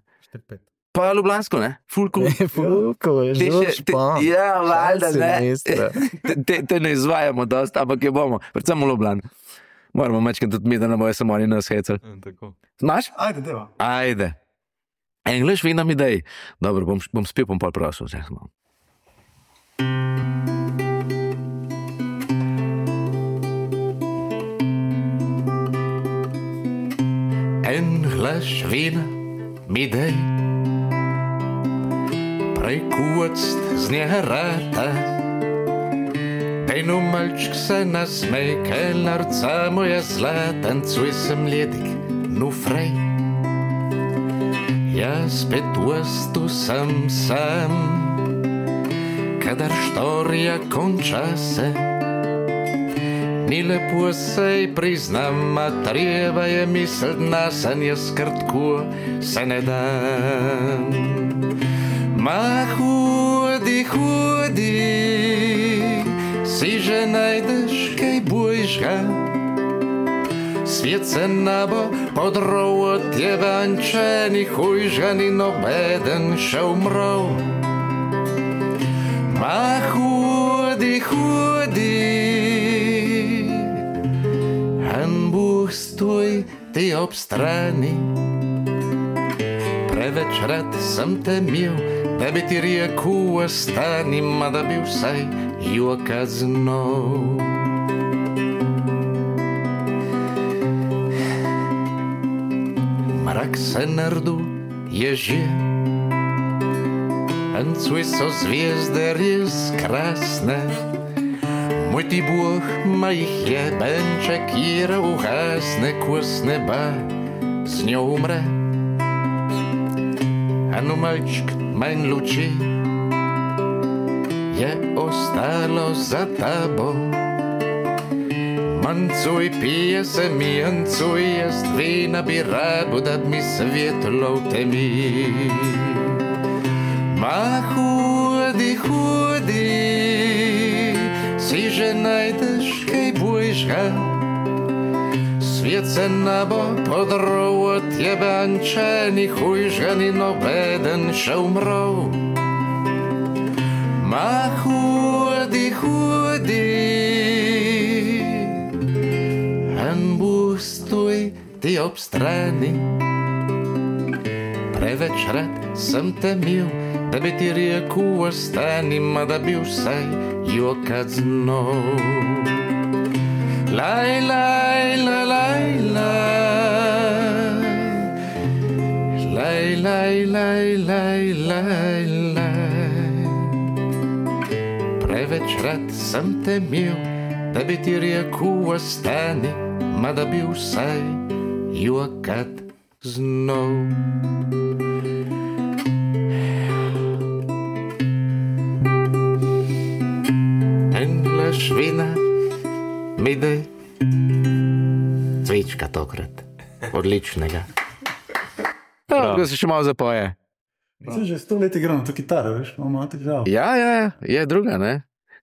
Pa Ljubljansko, ne? Fulko. Fulko, je Te že še- te- špan. Ja, valjda, Španci, ne. ministra. Te, te, te ne izvajamo dost, ampak je bomo, predvsem v Ljubljani. Moramo mečkati tudi mi, da ne bojo samo oni nas hecali. Znaš? Ajde, deva. Ajde. English vi nam idej. Dobro, bom, bom spil, bom pol prosil. Vse smo. English vina mi dej, prekuost z nje rata. Eno malčk se nasmej, kelnarca moja zla, tancuj sem ledik, nu frej. Jaz spet ustu sem sam, kadar štorija konča se. Ni lepo sej priznam, a treba je mislit na sen, jaz krtko se ne dam. Ma hodi, hodi, si že najdeš kaj boljšega, Svijet se nabo podrov od jevančenih ujžani nobeden še umrl. Ma hudi, hudi, an Bůh stoj ti ob strani. Preveč rad sem te mil, da bi ti rekel ostani, ma da bi vsaj joka znov. Mrak se nardu je že, Танцуй со звезды рез красны. Мой ты Бог моих ебенчик Ира угасне курс неба с нее умре. А ну, мальчик, майн лучи, я осталось за тобой. Манцуй пьесами, анцуй яствей набира, будут ми светло теми. Ma hudi, hudi, si že najdeš kaj božga. Svijet se nabo podrov od jebančenih ujžani, nobeden še umrl. Ma hudi, hudi, an Bůh stoj ti ob strani. Preveč rad sem te mil, da bi ti rekel ostani, ma da bi vsaj jokat znov. Laj, laj, laj, laj, laj, laj, laj, laj, laj, laj, laj. Preveč rad sem te mil, da bi ti rekel ostani, ma da bi vsaj jokat znov. Švina, midej, cvička tokrat, odličnega. Ja, da se še malo zapoje. Mislim, že sto let igram to kitaro, veš, imamo težavo. Ja, ja, ja, je druga, ne?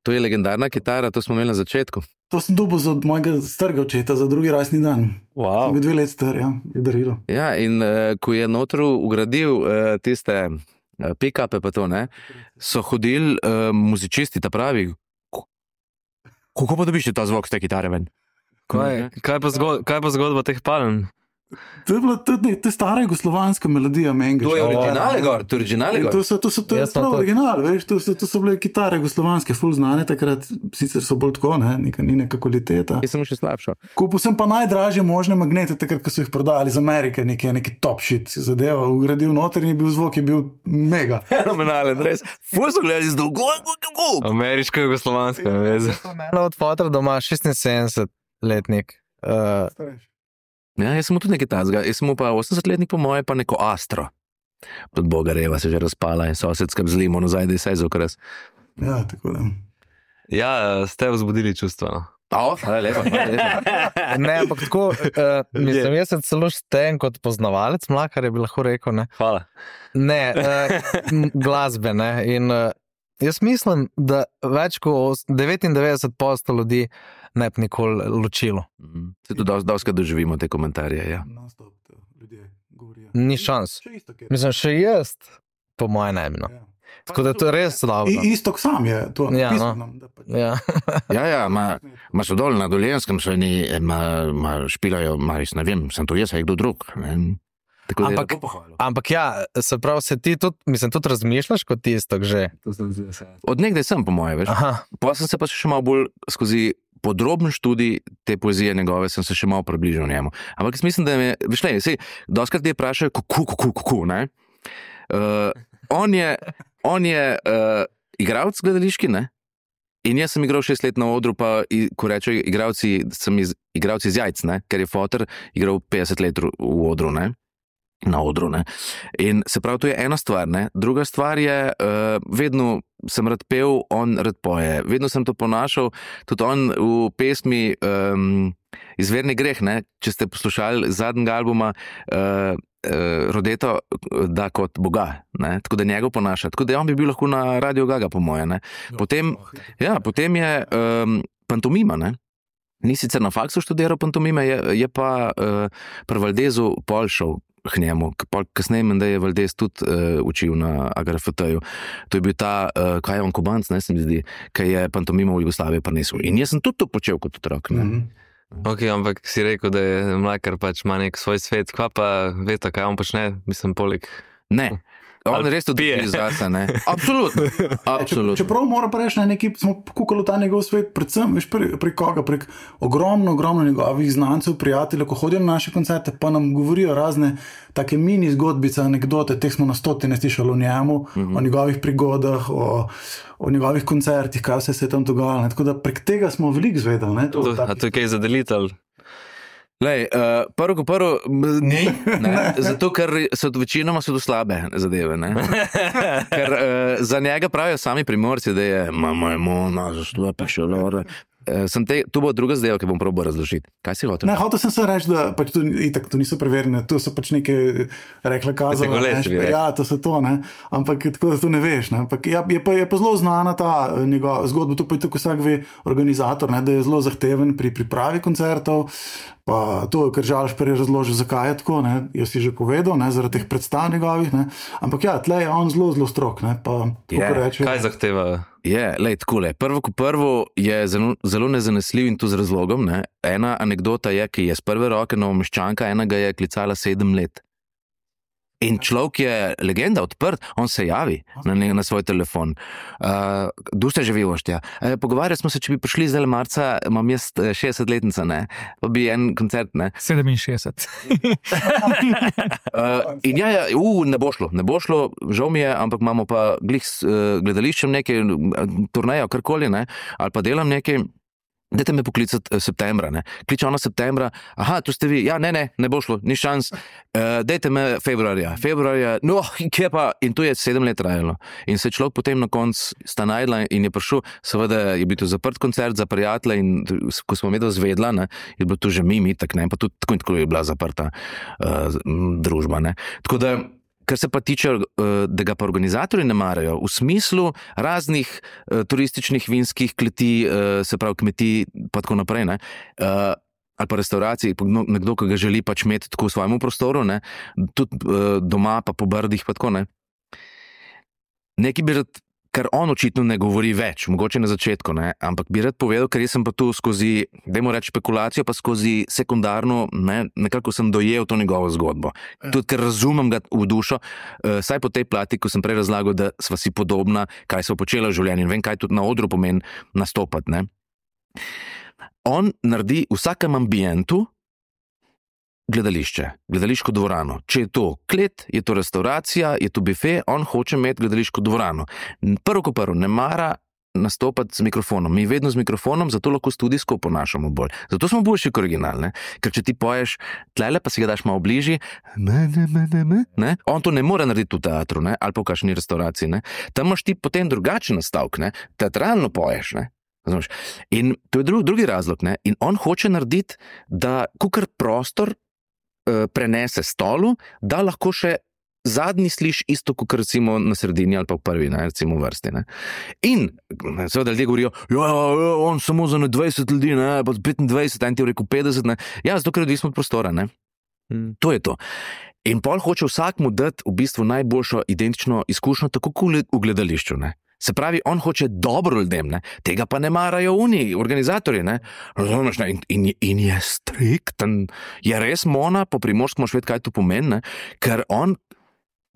To je legendarna kitara, to smo imeli na začetku. To sem dobil od mojega starega očeta za drugi rojstni dan. Wow. Sem bil dve let star, ja, je darilo. Ja, in uh, ko je notru ugradil uh, tiste uh, pick-upe pa to, ne, so hodili uh, muzičisti, ta pravi, kako pa dobiš ta zvok z te kitare ven? Kaj, kaj, pa zgod, kaj pa zgodba teh palm? To je bila tudi te stara jugoslovanska melodija menga. To je originale gor, to je originale gor. To so, to so, to je prav original, veš, to so, to so bile kitare jugoslovanske, ful znane takrat, sicer so bolj tako, ne, neka, ni neka kvaliteta. Jaz sem še slabšo. Kupil sem pa najdražje možne magnete, takrat, ko so jih prodali iz Amerike, neki, neki top shit zadeva, ugradil noter in je bil zvok, je bil mega. Fenomenalen, res. Ful so gledali z dolgo, kako? Ameriško-jugoslovanska veze. Eno od fotra doma, šestinsedemdesetletnik. Uh, Ja, jaz sem mu tudi nekaj tazga, jaz sem mu pa osemdesetletnik po moje, pa neko Astro. Tudi Bogareva se že razpala in sosedska zlimo nazaj, da je saj zokras. Ja, tako da. Ja, ste vzbudili čustva, no. O, hvala lepa, hvala lepa. ne, ampak tako, uh, mislim, jaz sem celo šten kot poznavalec Mlakar, je bi lahko rekel, ne. Hvala. Ne, uh, glasbe, ne, in uh, jaz mislim, da več kot devetindevetdeset posto ljudi ne bi nikoli ločilo. Se tudi doskrat doživimo te komentarje, ja. Non-stop ljudje govorijo. Ni šans. Še isto, kjer. Mislim, še jaz, po moje ne bi, no. Ja. Tako da to je res slavno. I, istok sam je to Ja, napisal no. nam, da pač. Ja. Ja, ja, ma, ma so dol na Dolenjskem, so oni, ma, ma špilajo, ma res ne vem, sem to jaz, ali kdo drug. Ne? Tako da je Ampak- lepo pohvalil. Ampak ja, se pravi, se ti tudi, mislim, tudi razmišljaš kot istok že. Od nekdaj sem, po moje, veš. Aha, Pa sem se pa še malo bolj skozi podroben študij te poezije njegove, sem se še malo približal njemu. Ampak jaz mislim, da me, veš ne, sej, doskrat te vprašajo, kako, kako, kako, ne? Uh, on je, on je uh, igralec gledališki, ne? In jaz sem igral šest let na odru, pa i, ko rečejo igralci, sem iz, igralci iz jajc, ne? Ker je foter igral petdeset let v odru, ne? Na odru, ne. In se pravi, to je ena stvar, ne. Druga stvar je, uh, vedno sem rad pel, on rad poje. Vedno sem to ponašal, tudi on v pesmi um, Izverni greh, ne, če ste poslušali zadnjega albuma, uh, uh, Rodeto da kot Boga, ne, tako da njegov ponaša. Tako da on bi bil lahko na Radio Gaga, po moje, ne. Potem, ja, potem je um, pantomima, ne. ni sicer na faksu študiral pantomime, je, je pa uh, pri Valdezu pol šel k njemu, pol kasneje menda je Valdez tudi uh, učil na A G R F T-ju. To je bil ta, uh, kaj je on Kubanc, ne se mi zdi, ki je pantomimo v Jugoslaviji prinesel. In jaz sem tudi to počel kot otrok. Ne? Mhm. Ok, ampak si rekel, da je Mlakar pač ima nek svoj svet, kva pa veta, kaj on počne, mislim, poleg. Ne. On Ali res tudi pije. pije zase, ne? Absolutno. Absolutno. Čeprav moram pa reči, na neki smo kukali ta njegov svet, predvsem, veš, pri, pri koga, prek ogromno, ogromno njegovih znancev, prijateljev, ko hodijo na naše koncerte, pa nam govorijo razne take mini zgodbice, anekdote, teh smo na stotine slišali o njemu, mm-hmm. o njegovih prigodah, o, o njegovih koncertih, kaj vse se je tam dogajalo. Tako da prek tega smo veliko zvedeli. Ne, to, To, a to je kaj za delitelj? Lej, uh, prvo ko prvo, ne, ne, zato ker so večinoma so to slabe zadeve, ne. Ker uh, za njega pravijo sami Primorci, da je mama je mona, zašto pa še lore. Uh, sem te, tu bo druga zadeva, ki bom probal razložiti. Kaj si hotel? Ne, hotel sem se reči, da pač to, itak, to niso preverjene, to so pač neke rekla kazala. Kategolec, bi rekel. Ja, to so to, ne. Ampak tako, da to ne veš, ne. Ampak ja, je, pa, je pa zelo znana ta njegova zgodba, to pa je tako vsak ve organizator, ne, da je zelo zahteven pri pripravi koncertov. Pa to, ker Žalš prej razložil, zakaj je tako, ne, jaz si že povedal, ne, zaradi teh predstav njegovih, ne, ampak ja, tle je on zelo, zelo strok, ne, pa Je, kako reče. Kaj zahteva? Je, lej, takole, prvo ko prvo je zelo, zelo nezanesljiv in to z razlogom, ne. Ena anekdota je, ki je z prve roke Novomeščanka, ena ga je klicala sedem let. In človek je legenda, odprt, on se javi na, ne, na svoj telefon. Uh, du ste že vivoštja. Uh, pogovarjali smo se, če bi prišli zdaj marca, imam jaz šestdesetletnica, ne, pa bi en koncert, ne. sedeminšestdeset. Uh, in ja, ja, uh, ne bo šlo, ne bo šlo, žal mi je, ampak imamo pa glih s uh, gledališčem nekaj, turnejo, karkoli, ne, ali pa delam nekaj. Dajte me poklicati septembra, ne. Kliče ona septembra, aha, tu ste vi, ja, ne, ne, ne bo šlo, ni šans, uh, dajte me februarja, februarja, no, kje pa, in to je sedem let trajalo. In se človek potem na koncu sta najdla in je prišel, seveda je bil to zaprt koncert za prijatelje in ko smo medel zvedla, ne, je bilo to že mimi, tak ne, pa tudi tako in tako je bila zaprta uh, družba, ne. Tako da, kar se pa tiče, da ga pa organizatorji ne marajo, v smislu raznih uh, turističnih vinskih kleti, uh, se pravi kmetij, pa tako naprej, ne, uh, ali pa restauracij, nekdo, ki ga želi pač imeti tako v svojemu prostoru, ne, tudi uh, doma, pa po brdih, pa tako, ne. Nekaj bi rad, ker on očitno ne govori več, mogoče na začetku, ne, ampak bi rad povedal, ker jaz sem pa tu skozi, dajmo reči špekulacijo, pa skozi sekundarno, ne, nekako sem dojel to njegovo zgodbo. Tudi ker razumem ga v dušo, uh, saj po tej plati, ko sem prej razlagal, da sva si podobna, kaj sva počela v življenju in vem, kaj tudi na odru pomeni nastopati, ne. On naredi v vsakem ambientu gledališče, gledališko dvorano. Če je to klet, je to restauracija, je to bife, on hoče imeti gledališko dvorano. Prvo ko prvo, ne mara nastopati z mikrofonom. Mi vedno z mikrofonom, zato lahko studijsko ponašamo bolj. Zato smo boljši kot original, ne? Ker če ti poješ tlele, pa si ga daš malo bližji, ne, ne, ne, ne, ne, ne? On to ne more narediti v teatru, ne? Ali pa v kakšni restauraciji, ne? Tam imaš ti potem drugačen nastavek, ne? Teatralno poješ, ne? Znaš? In to je dru, drugi razlog, ne? In on hoče narediti, da kukar prostor prenese stolu, da lahko še zadnji sliš isto, kot recimo na sredini ali pa v prvi, ne, recimo v vrsti. Ne. In seveda ljudje govorijo, ja, ja, on samo za dvajset ljudi, ne, pa petindvajset, en ti je rekel petdeset, ne. Ja, zato ker je odvisno od prostora, ne. Hmm. To je to. In pol hoče vsakmu dati v bistvu najboljšo identično izkušnjo, tako kot v gledališču, ne. Se pravi, on hoče dobro ljudem, ne? Tega pa ne marajo oni, organizatorji, ne? Razumeš, ne? In, in, in je strikten, je res mona, po Primorskem moraš vedeti, kaj to pomeni, ne? Ker on,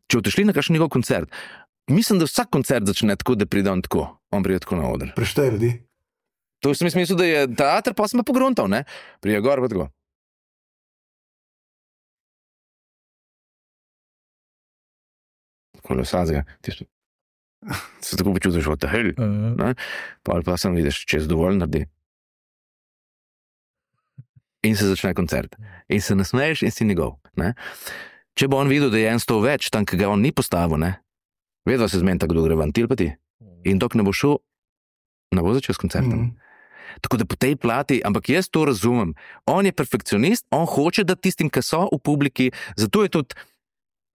če odšli na kakšen njegov koncert, mislim, da vsak koncert začne tako, da pride on tako, on pride tako na oder. Preštej ljudi. To sem mislil, da je teater, pa sem pa pogruntal, ne? Prije gor, pa tako. Tako le sazga, tisto. Se tako počutiš, what the hell, ne? Pa ali pa sem vidiš, če je dovolj naredi. In se začne koncert. In se nasmeješ in si njegov, ne? Če bo on videl, da je en stol več, tam, ki ga on ni postavil, ne? Vedno se zmeni tako, da gre vantil pa ti. In dok ne bo šel, ne bo začel s koncertom. Mm. Tako da po tej plati, ampak jaz to razumem. On je perfekcionist, on hoče, da tistim, ki so v publiki, zato je tudi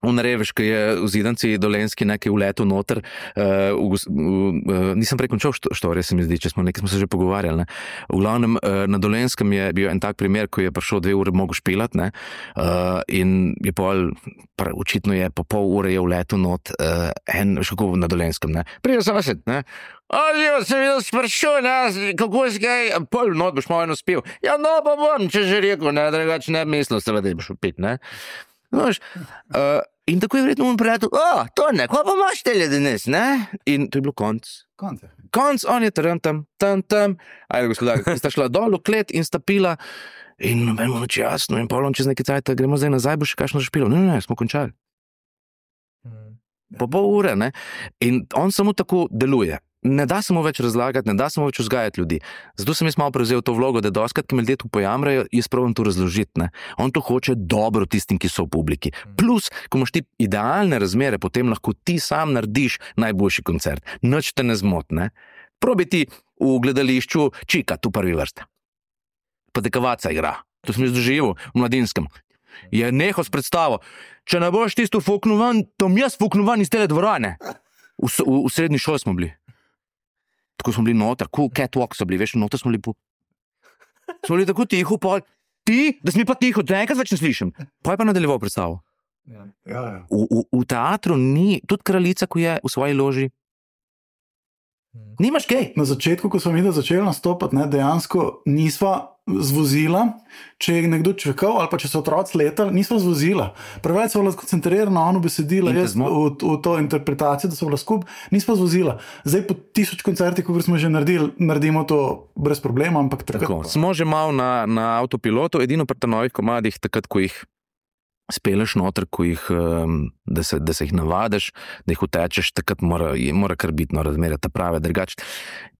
Unareveš, ki je v Zidanci Dolenski nekaj uletel noter, uh, v, v, uh, nisem prekončal štorije, se mi zdi, če smo nekaj smo se že pogovarjali. Ne. V glavnem, uh, na Dolenskem je bil en tak primer, ko je prišel dve ure mogo špilat, ne, uh, in je pol, pra, očitno je po pol ure je uletel not, uh, en, veš kako na Dolenskem, ne, prije sosed, ne, Oživo, sem videl sprašuj nas, kako si kaj, pol not boš malo eno spil. Ja, no, pa bom, če že rekel, ne, drugače ne mislil, seveda, da boš upit, ne. Noš, uh, in tako je vredno mu prijatelj, o, to ne, ko pa imaš tele danes, ne? In to je bilo konc. Konce. Konc, on je tam, tam, tam, tam, ajde, gospodar, sta šla dol v klet in sta pila in nobeno noč jasno in polom čez nekaj cajta, gremo zdaj nazaj, bo še kakšno špilo. Ne, ne, ne, smo končali. Po pol ure, ne? In on samo tako deluje. Ne da se mu več razlagati, ne da se mu več vzgajati ljudi. Zato sem jaz malo prevzel to vlogo, da doskrat, ki me ljudje tu pojamrajo, jaz probam to razložiti. Ne? On to hoče dobro tistim, ki so v publiki. Plus, ko imaš ti idealne razmere, potem lahko ti sam narediš najboljši koncert. Nič te ne zmotne. Probi ti v gledališču čika, tu prvi vrste. Pa dekavaca igra. To sem jaz doživel v Mladinskem. Je nehal s predstavo. Če ne boš tisto fuknovan, to mi jaz fuknovan iz tele dvorane. V, v, v srednji šoli smo bili. Tako smo bili noter, cool catwalk so bili, veš, noter smo bili po... Smo bili tako tiho, pol, ti, da si mi pa tiho, da enkrat več ne slišim. Pa je pa nadaljeval predstavo. Ja, ja. V, v, v teatru ni, tudi kraljica, ko je v svoji loži, nimaš kaj. Na začetku, ko smo mi začeli nastopati, ne, dejansko nisva zvozila, če je nekdo čakal ali pa če so otroci letali, nisva zvozila. Preveč so bila skoncentrirana na ono besedilo, jaz v, v to interpretacijo, da so bila skup, nisva zvozila. Zdaj po tisoč koncertih, ko smo že naredili, naredimo to brez problema, ampak takrat... Tako, smo že malo na, na avtopilotu, edino pri novih komadih, takrat, ko jih speleš noter, ko jih, da se, da se jih navadiš, da jih utečeš, takrat mora, mora kar biti no, razmerje ta prave, drugače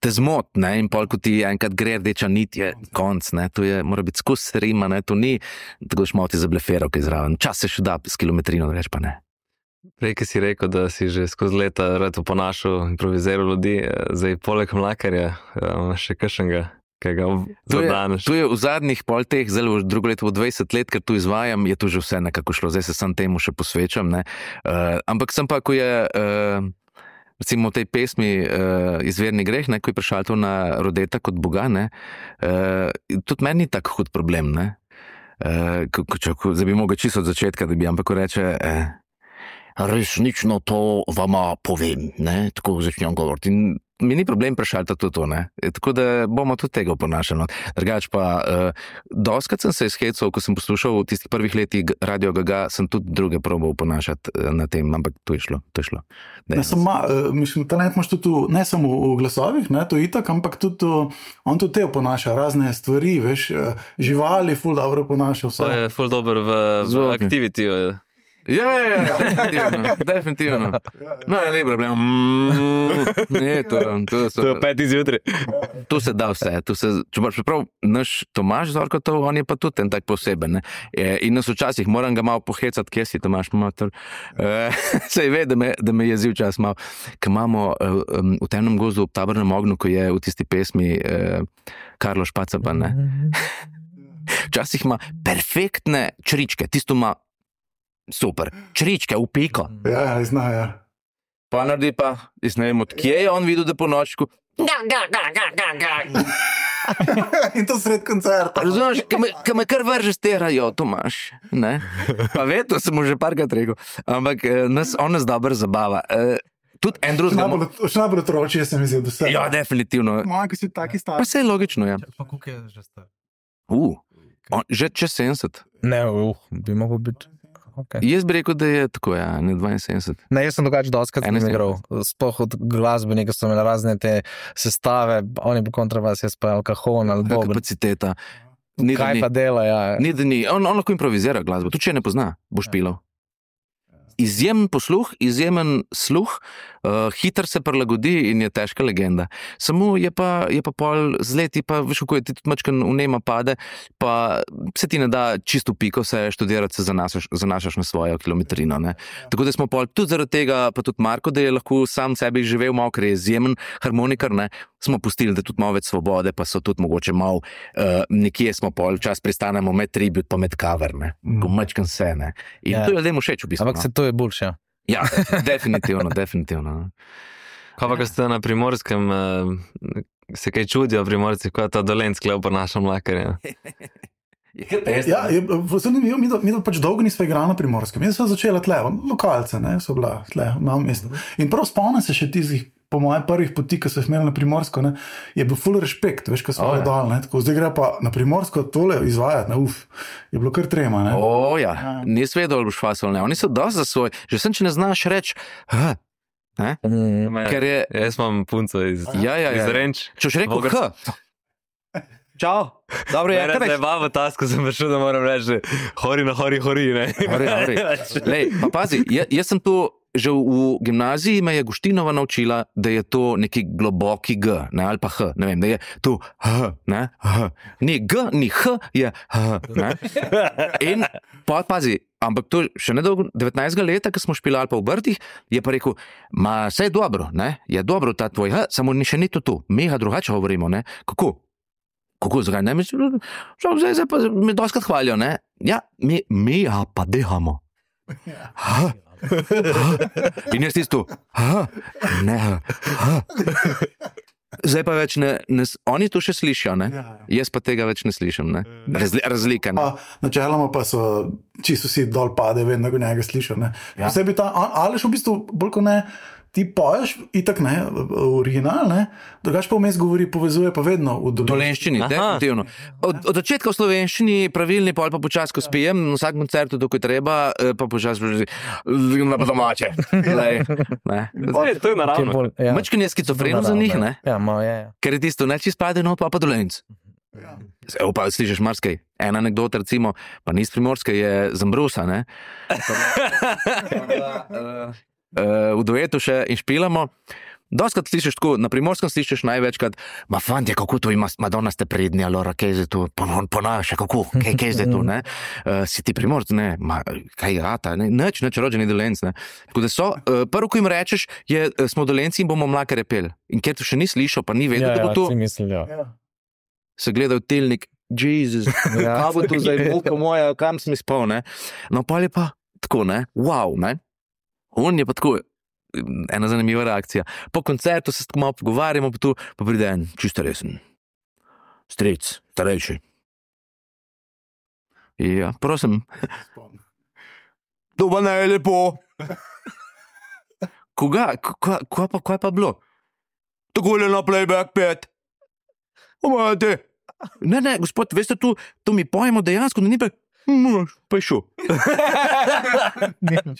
te zmot, ne, in pol, ko ti enkrat gre rdeča nit, je konc, ne, to je, mora biti skus rima, ne, to ni, tako daš malo ti zableferal, kaj zraven, čas se še da s kilometrino, drugače pa ne. Prej, ki si rekel, da si že skozi leta rad oponašal, improviziral ljudi, zdaj poleg Mlakarja, še kakšnega, kaj ga zadaneš. To je v zadnjih pol teh, zelo drugo leto, v dvajset let, ker tu izvajam, je tu že vse nekako šlo, zdaj se sam temu še posvečam, ne. Uh, ampak sem pa, ko je, uh, recimo v tej pesmi uh, Izverni greh, ne, ko je prišel to na Rodeta kot Boga, ne, uh, tudi meni ni tak hud problem, ne. Uh, ko, ko, ko, zdaj bi mogel čisto od začetka, da bi, ampak ko reče, uh, resnično to vama povem, ne, tako začnem govoriti. In mi ni problem prešaltati tudi to, ne. E, tako da bomo tudi tega oponašali. Drugač pa, uh, doskrat sem se izhecal, ko sem poslušal v tistih prvih letih Radio Gaga, sem tudi druge probal oponašati uh, na tem, ampak to je šlo, to je šlo. Ne, sem ma, uh, mislim, talent imaš tudi v, ne samo v glasovih, ne, to je itak, ampak tudi uh, on tudi te oponaša, razne stvari, veš, uh, živali, ful dobro oponaša vse. To je ful dober v, v aktivitiju. Ja, ja, ja, definitivno, definitivno. No, je lep problem. Mm, ne, to, to, so, To je pet izjutri. to se da vse. To se, čeprav naš Tomaž Zorkotov, on je pa tudi en tak poseben. Ne? In nas včasih moram ga malo pohecati, kje si Tomaž Motor. E, sej ve, da me, da me jezi včas malo. Ker imamo um, v temnem gozdu ob tabornem ognju, ko je v tisti pesmi uh, Karlo Špacapa, ne? Včasih ima perfektne čričke, tisto ima super, čričke v piko. Ja, zna, ja. Pa naredi pa, jaz ne vem, od kje je on videl, da po nočku. In to sred koncerta. Razumeš, ka me, ka me kar vrže sterajo, Tomaž, ne? Pa ve, to sem mu že parkrat rekel, ampak nas, on nas dobro zabava. Tudi en drugega... Še najbolj otročje se mi zdi, da vse. Ja, definitivno. Moja, ki si taki Pa stari. vse je logično, ja. Pa koliko je že star? Uh, on, že čez sedemdeset. Ne, uh, bi mogel biti. Okay. Jaz bi rekel, da je tako, ja, ne dvainsedemdeset. Ne, jaz sem drugače doskrat Eno igral. Sploh od glasbenika so imeli razne te sestave, oni pa kontra vas, jaz pa alkohol ali bob. Kapaciteta. Ni, da Kaj ni. pa dela, ja. Ni, da ni. On, on lahko improvizira glasbo, tudi če ne pozna, boš pilal. Izjemen posluh, izjemen sluh, uh, hiter se prilagodi in je težka legenda. Samo je pa, je pa pol z leti, pa veš, kako je ti tudi mačkan vnema pade, pa se ti ne da čisto piko se študirati, se zanašaš, zanašaš na svojo kilometrino. Ne? Tako da smo pol tudi zaradi tega, pa tudi Marko, da je lahko sam sebi živel malo, ker je izjemen harmonikar, ne? Smo pustili, da tudi malo več svobode, pa so tudi mogoče malo, uh, nekje smo pol čas pristanemo med tribut, pa med cover, ne? Ko mačkan se, ne? In Ja. to je ljudem všeč v bistvu. Ampak se to to je boljše. Ja, definitivno, definitivno. Kaj pa, ko ste na Primorskem, se kaj čudijo Primorci, ko je ta Dolenc klev po našem mlakarju? Ja, je zanimivo, mi, mi pač dolgo nismo igrali na Primorskem. Jaz sem začela tle, lokalce, ne, so bila tle, na mestu. In prav spomnim se še tistih, po mojih prvih poti, ko so imeli na Primorsko, ne, je bil full respekt, veš, ko smo oh, dal, ne, tako zdaj gre pa na Primorsko tole izvajati, ne, uf, je bilo kar trema, ne. O, ja, ja. Nis vedel, ali boš fasol, ne, oni so dosti za svoj, že sem, če ne znaš reči, ha, ne, mm, ker je... Jaz imam punco iz, ja, ja, ja. iz Renč. Če boš rekel, ha, čau, dobro, ja, kaj reč? Zdaj v tasku sem prišel, da moram reči, hori na hori, hori, ne. Hori, hori. Lej, pa pazi, jaz, jaz sem tu, že v gimnaziji me je Guštinova naučila, da je to neki globoki G, ne, ali pa H, ne vem, da je tu H, ne, H. Ni G, ni H, je H, ne. In pa pazi, ampak to še nedolgo, devetnajstega leta, ko smo špilali pa v Brtih, je pa rekel, ma, saj je dobro, ne, je dobro ta tvoj H, samo ni še ni to tu, mega drugače govorimo, ne, kako? Kako, zakaj, ne, mi, zdaj, zdaj pa me doskrat hvalijo, ne, ja, mi, mi, ja, pa dehamo. Ha, in jaz tisto, ha, ne, ha. Zdaj pa več ne, ne, oni to še slišijo, ne? Jaz pa tega več ne slišim, ne? Razli, razlika, ne? Načeloma pa so, čisto vsi dol pade, vedno ko njega slišijo, ne? Ja. Vsebi ta, Aleš v bistvu, bolj ko ne, ti poješ, itak ne, original, ne, drugač pa vmes govori, povezuje pa vedno v dolenščini, definitivno. Od, od začetka v slovenščini pravilni, pa ali pa počas, ko spijem, na vsak koncertu, dok je treba, pa počas na pa domače. Lej, ne. Zdaj, to je naravno. Ja. Mačkin je skizofreno za njih, ne? Ja, malo je, ja. Ker je tisto, ne, čist pade, no, pa pa dolenc. Ja. Evo pa, slišiš marsikaj. Ena anekdota, recimo, pa ni iz Primorske, je Zambrusa, ne? Uh, v duetu še in špilamo. Doskrat slišiš tako, na Primorskem slišiš največkrat, ma fantje, kako to ima, Madonna ste prednji, alora, kaj je zdaj tu, ponaša, kako, kaj, kaj je zdaj tu, ne? Uh, si ti Primorc, ne, ma, kaj rata, ne, neč, neč, rođeni Dolenc, ne. Tako da so, uh, prvo, ko jim rečeš, je, smo Dolenci in bomo mlake repel. In ker to še ni slišal, pa ni vedel, ja, da bo to, ja, mislil, ja. Se gleda v telnik, Jezus, ja. Kaj bo to zdaj, mulka moja, kam sem izpol, ne? No, pa je pa tako, ne, wow, ne. On je pa tako, ena zanimiva reakcija. Po koncertu se tako malo pogovarjamo, pa tu pa pride en, čisto resen. Stric, starejši. Ja, prosim. To pa ne je lepo. Koga, kaj pa, kaj pa bilo? Tako je na playback pet. Omajte. Ne, ne, gospod, veste, tu, tu mi pojemo dejansko, da ni pa pa je šel.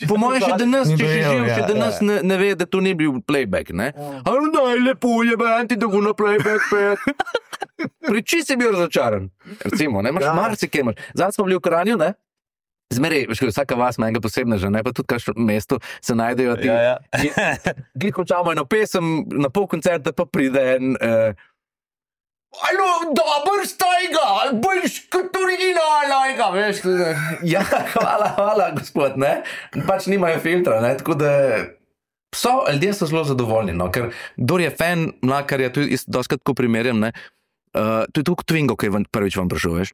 Po mojem še danes, če še živ, še danes ne, ne ve, da to ni bil playback, ne? Ali daj, lepo je, banti, da go na playback pet. Priči si bil razočaran. Recimo, ne, imaš marsikaj imaš. Zdaj smo bili v Kranju, ne? Zmeraj, veš, vsaka vas ima enega posebneža, ne, pa tudi kakšno mesto se najdejo ti. Ja, ja. Glih končamo eno pesem, na pol koncerta pa pride en... Uh, Alo, dober stajga, boljš kot originalnega, veš, ja, hvala, hvala, gospod, ne, pač nimajo filtra, ne, tako da so, ljudje so zelo zadovoljni, no, ker kdor je fan mlakarja, tu je doskrat tako primerjam, ne, uh, to je tukaj Twingo, ki je prvič vam prišel, veš,